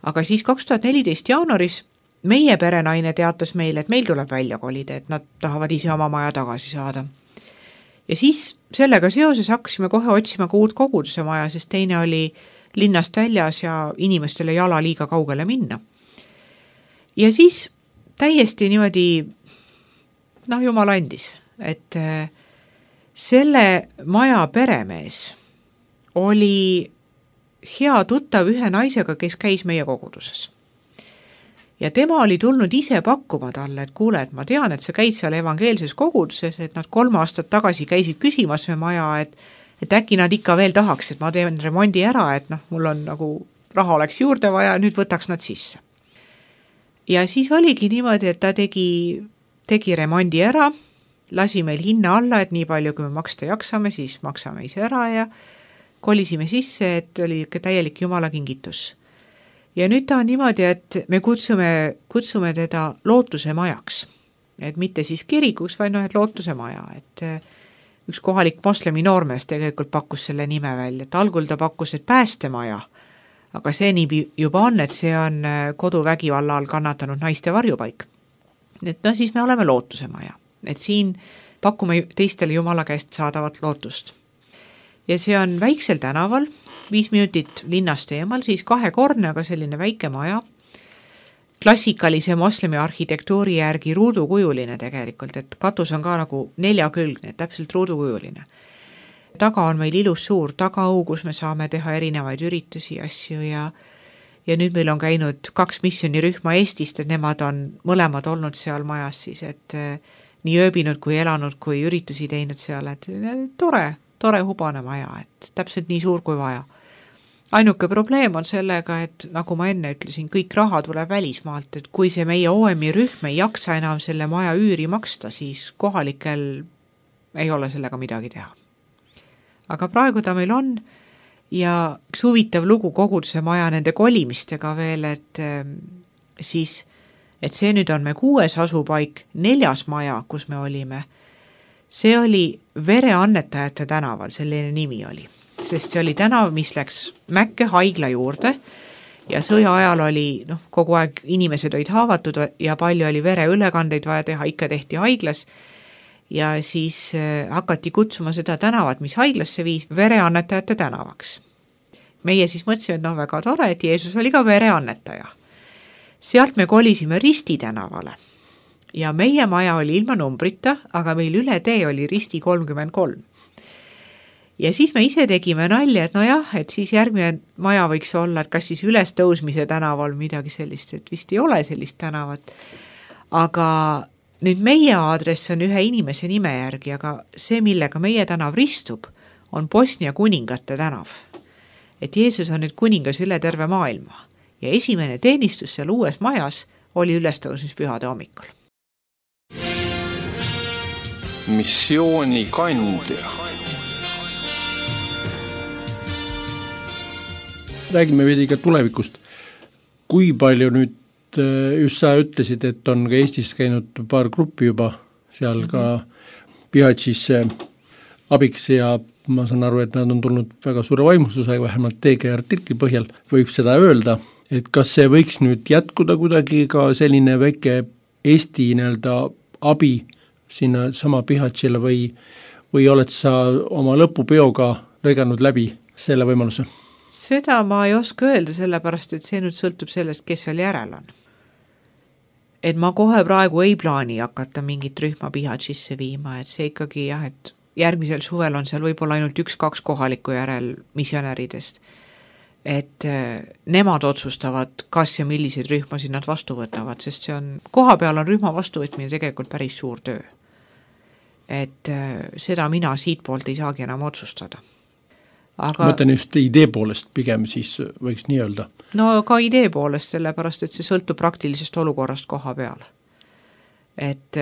Aga siis 2014 jaanuaris meie perenaine teatas meile, et meil tuleb välja kolida, et nad tahavad ise oma maja tagasi saada. Ja siis sellega seoses hakkasime kohe otsima ka uut koguduse maja, sest teine oli linnast väljas ja inimestele jala liiga kaugele minna. Ja siis täiesti niimoodi, jumal andis, et selle maja peremees oli hea tuttav ühe naisega, kes käis meie koguduses. Ja tema oli tulnud ise pakkuma talle, et kuule, et ma tean, et sa käid seal evangeelses koguduses, et nad 3 aastat tagasi käisid küsimas me maja, et äkki nad ikka veel tahaks, et ma teen remondi ära, et mul on nagu raha oleks juurde vaja, nüüd võtaks nad sisse. Ja siis oligi niimoodi, et ta tegi remondi ära, lasi meil hinna alla, et nii palju, kui me maksta jaksame, siis maksame ise ära ja kolisime sisse, et oli täielik Jumala kingitus. Ja nüüd ta on niimoodi, et me kutsume teda lootuse majaks, et mitte siis kirikuks, vaid et lootuse maja, et üks kohalik moslemi noormees tegelikult pakkus selle nime välja, et algul ta pakkus, et päästemaja, aga see nii juba on, et see on koduvägivalla all kannatanud naiste varjupaik. Et siis me oleme lootuse maja. Et siin pakume teistele Jumala käest saadavat lootust. Ja see on väiksel tänaval, 5 minutit linnast eemal, siis 2-kordne, aga selline väike maja. Klassikalise moslemi arhitektuuri järgi ruudukujuline tegelikult, et katus on ka nagu 4-külgne, täpselt ruudukujuline. Taga on meil ilus suur tagaau, kus me saame teha erinevaid üritusi, asju ja nüüd meil on käinud 2 missionirühma Eestist, et nemad on mõlemad olnud seal majas siis, et nii ööbinud kui elanud, kui üritusi teinud seal, et tore hubane maja, et täpselt nii suur kui vaja. Ainuke probleem on sellega, et nagu ma enne ütlesin, kõik raha tuleb välismaalt, et kui see meie OM-i rühm ei jaksa enam selle maja üüri maksta, siis kohalikel ei ole sellega midagi teha. Aga praegu ta meil on ja üks huvitav lugu koguduse maja nende kolimistega veel, et see nüüd on me 6. asupaik, 4. maja, kus me olime. See oli vereannetajate tänaval, selline nimi oli. Sest see oli tänav, mis läks Mäkke haigla juurde ja sõja ajal oli kogu aeg inimesed olid haavatud ja palju oli vereülekandeid vaja teha, ikka tehti haiglas ja siis hakati kutsuma seda tänavat, mis haiglasse viis, vereannetajate tänavaks. Meie siis mõtlesime, et väga tore, et Jeesus oli ka vereannetaja. Sealt me kolisime Risti tänavale ja meie maja oli ilma numbrita, aga meil üle tee oli Risti 33. Ja siis me ise tegime nalja, et et siis järgmine maja võiks olla, et kas siis ülestõusmise tänaval midagi sellist, et vist ei ole sellist tänavat. Aga nüüd meie aadress on ühe inimese nime järgi, aga see, millega meie tänav ristub, on Bosnia kuningate tänav. et Jeesus on nüüd kuningas üle terve maailma ja esimene teenistus seal uues majas oli ülestõusmispühade hommikul. Missioonikandja. Räägime veidi ka tulevikust. Kui palju nüüd, just sa ütlesid, et on ka Eestis käinud paar gruppi juba seal ka Pihatšis abiks ja ma saan aru, et nad on tulnud väga suure vaimustusega, vähemalt TG artikli põhjal võib seda öelda, et kas see võiks nüüd jätkuda kuidagi ka selline väike Eesti abi sinna sama Pihatšile või oled sa oma lõpupeoga lõiganud läbi selle võimaluse? Seda ma ei oska öelda, sellepärast, et see nüüd sõltub sellest, kes seal järel on. Et ma kohe praegu ei plaani hakata mingit rühma Pihatšisse viima, et see ikkagi jah, et järgmisel suvel on seal võib-olla ainult 1-2 kohaliku järel missionäridest. Et nemad otsustavad, kas ja milliseid rühmasid nad vastu võtavad, sest see on, koha peal on rühma vastuvõtmine tegelikult päris suur töö. Et seda mina siit poolt ei saagi enam otsustada. Aga mõtlen just idee poolest pigem siis võiks nii öelda. No ka idee poolest, sellepärast, et see sõltub praktilisest olukorrast koha peal. Et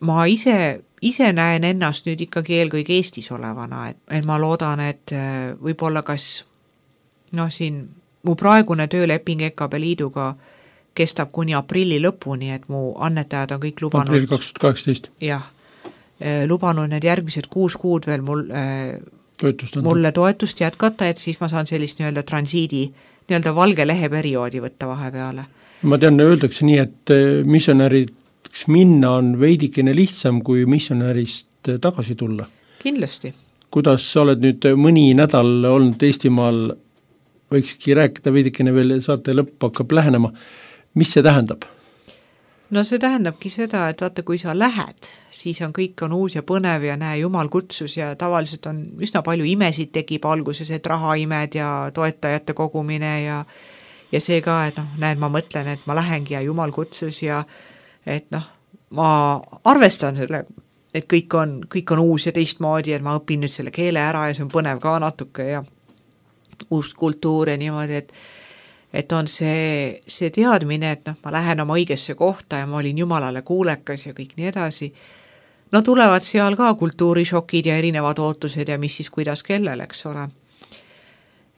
ma ise näen ennast nüüd ikkagi eelkõige Eestis olevana, et ma loodan, et võib-olla kas siin mu praegune tööleping EKB Liiduga kestab kuni aprilli lõpuni, et mu annetajad on kõik lubanud aprill 2018. Jah, lubanud need järgmised 6 kuud veel mulle toetust jätkata, et siis ma saan sellist transiidi, valge lehe perioodi võtta vahepeale. Ma tean, öeldakse nii, et missionäriks minna on veidikene lihtsam kui missionärist tagasi tulla. Kindlasti. Kuidas sa oled nüüd mõni nädal olnud Eestimaal, võikski rääkida veidikene veel, saate lõpp hakkab lähenema. Mis see tähendab? No see tähendabki seda, et vaata, kui sa lähed, siis kõik on uus ja põnev ja näe, Jumal kutsus ja tavaliselt on üsna palju imesid tekib alguses, et rahaimed ja toetajate kogumine ja see ka, et näed, ma mõtlen, et ma lähengi ja Jumal kutsus ja et ma arvestan selle, et kõik on uus ja teistmoodi, et ma õpin nüüd selle keele ära ja see on põnev ka natuke ja uus kultuur ja niimoodi, et on see teadmine, et ma lähen oma õigesse kohta ja ma olin Jumalale kuulekas ja kõik nii edasi. No tulevad seal ka kultuurishokid ja erinevad ootused ja mis siis kuidas kellel, eks ole.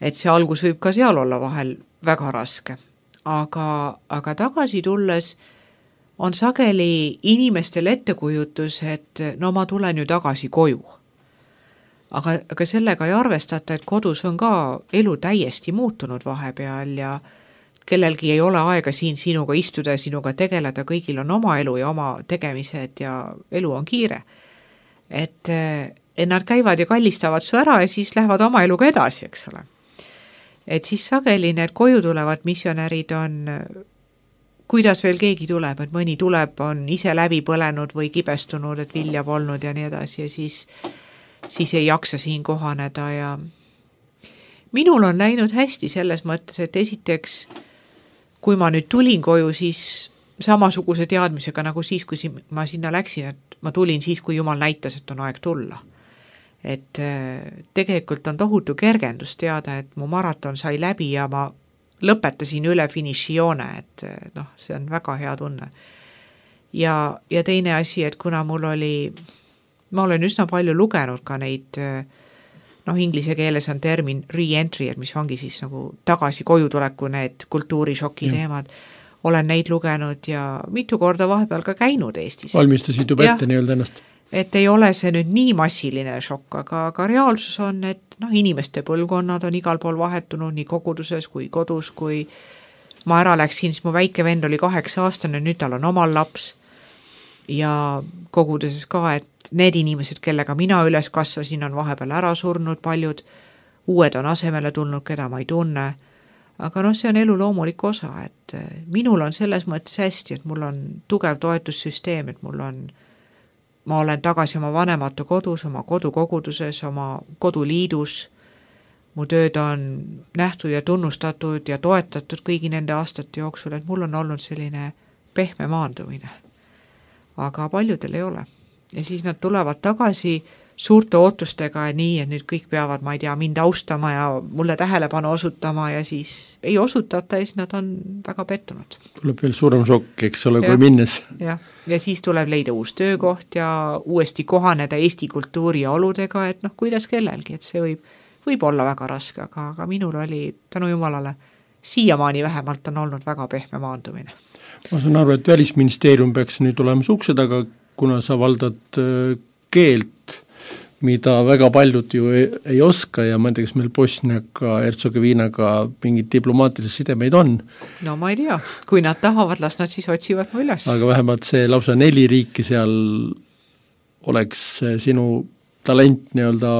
Et see algus võib ka seal olla vahel väga raske. Aga tagasi tulles on sageli inimestel ettekujutus, et ma tulen ju tagasi koju. Aga sellega ei arvestata, et kodus on ka elu täiesti muutunud vahepeal ja kellelgi ei ole aega siin sinuga istuda ja sinuga tegeleda, kõigil on oma elu ja oma tegemised ja elu on kiire. Et nad käivad ja kallistavad su ära ja siis lähevad oma eluga edasi, eks ole. Et siis sageli need koju tulevad missionärid on, kuidas veel keegi tuleb, et mõni tuleb, on ise läbi põlenud või kibestunud, et vilja polnud ja nii edasi ja siis ei jaksa siin kohaneda ja minul on läinud hästi selles mõttes, et esiteks, kui ma nüüd tulin koju, siis samasuguse teadmisega nagu siis, kui ma sinna läksin, et ma tulin siis, kui Jumal näitas, et on aeg tulla. Et tegelikult on tohutu kergendus teada, et mu maraton sai läbi ja ma lõpetasin üle finišijoone, et see on väga hea tunne. Ja teine asi, et kuna ma olen üsna palju lugenud ka neid, inglise keeles on termin re-entry, et mis ongi siis nagu tagasi koju tuleku need kultuurishoki teemad. Olen neid lugenud ja mitu korda vahepeal ka käinud Eestis. Valmistasid juba ette nii-öelda ennast? Et ei ole see nüüd nii massiline šokk, aga reaalsus on, et inimeste põlvkonnad on igal pool vahetunud nii koguduses kui kodus, kui ma ära läksin, siis mu väike vend oli 8-aastane, nüüd tal on omal laps ja koguduses ka, et need inimesed, kellega mina üles kasvasin, on vahepeal ära surnud paljud, uued on asemele tulnud, keda ma ei tunne, aga see on elu loomulik osa, et minul on selles mõttes hästi, et mul on tugev toetussüsteem, et ma olen tagasi oma vanemate kodus, oma kodukoguduses, oma koduliidus, mu tööd on nähtud ja tunnustatud ja toetatud kõigi nende aastate jooksul, et mul on olnud selline pehme maandumine. Aga paljudel ei ole. Ja siis nad tulevad tagasi suurte ootustega ja nii, et nüüd kõik peavad, ma ei tea, mind austama ja mulle tähelepanu osutama ja siis ei osutata ja siis nad on väga pettunud. Tuleb veel suurem šokk, eks ole, kui minnes. Ja siis tuleb leida uus töökoht ja uuesti kohaneda Eesti kultuuri ja oludega, et kuidas kellelgi, et see võib olla väga raske, aga minul oli tänu jumalale siiamaani vähemalt on olnud väga pehme maandumine. Ma saan aru, et Välisministeerium peaks nüüd olema ukse taga, kuna sa valdad keelt, mida väga paljud ju ei oska ja ma ei tea, kas meil Bosniaga, Herzegovinaga mingid diplomaatilised sidemeid on. No ma ei tea, kui nad tahavad, las nad siis otsivad mu üles. Aga vähemalt see lausa 4 riiki seal oleks sinu talent nii-öelda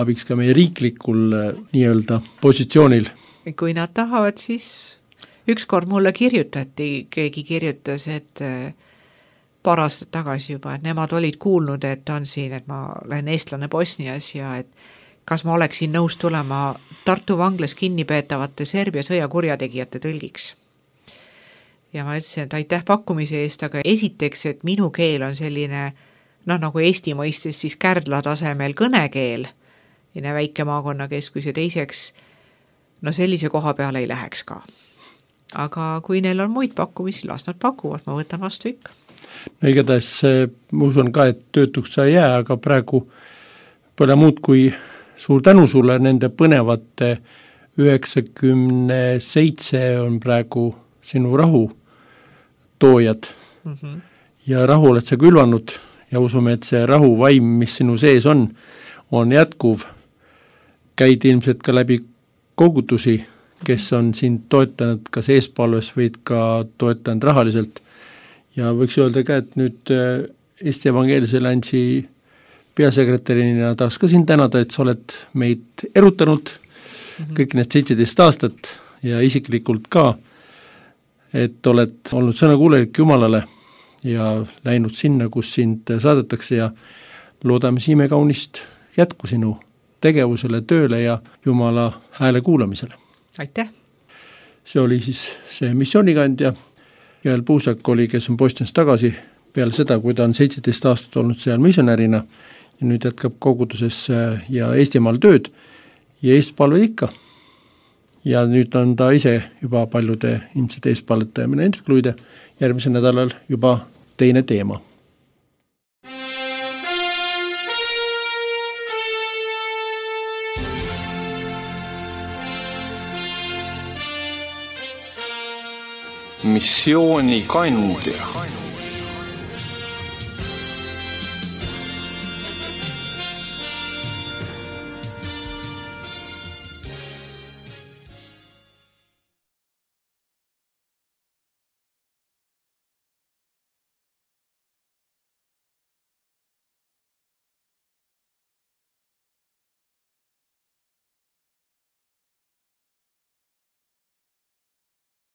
abiks ka meie riiklikul nii-öelda positsioonil. Kui nad tahavad, siis ükskord mulle kirjutati, keegi kirjutas, et paar aastat tagasi juba, et nemad olid kuulnud, et on siin, et ma olen eestlane Bosnias ja et kas ma oleksin nõus tulema Tartu vanglas kinnipeetavate Serbia sõjakurjategijate tõlgiks. Ja ma ütlesin, et aitäh pakkumise eest, aga esiteks, et minu keel on selline, nagu Eesti mõistes siis Kärdla tasemel kõnekeel, väike maakonnakeskus ja teiseks, sellise koha peale ei läheks ka. Aga kui neil on muid pakkumisi, las nad pakuvad, ma võtan vastu ikka. No igatahes ma usun ka, et töötuks sa ei jää, aga praegu pole muud kui suur tänu sulle nende põnevate 97 on praegu sinu rahu toojad. Ja rahu oled sa külvanud ja usume, et see rahuvaim, mis sinu sees on jätkuv. Käid ilmselt ka läbi kogutusi, kes on sind toetanud kas eespalves või ka toetanud rahaliselt. Ja võiks öelda ka, et nüüd Eesti Evangeelse Alliansi peasekretärina tahaks ka sind tänada, et sa oled meid erutanud kõik need 17 aastat ja isiklikult ka, et oled olnud sõnakuulelik Jumalale ja läinud sinna, kus sind saadetakse ja loodame siime kaunist jätku sinu tegevusele, tööle ja Jumala hääle kuulamisele. Aitäh! See oli siis see missioonikandja. Joel Puusak oli, kes on Bosnias tagasi peale seda, kui ta on 17 aastat olnud seal missionärina ja nüüd jätkab koguduses ja Eestimaal tööd ja eestpalve ikka. Ja nüüd on ta ise juba paljude ilmselt eestpalletajamine Hendrik Luide järgmisel nädalal juba teine teema. Missioonikandja.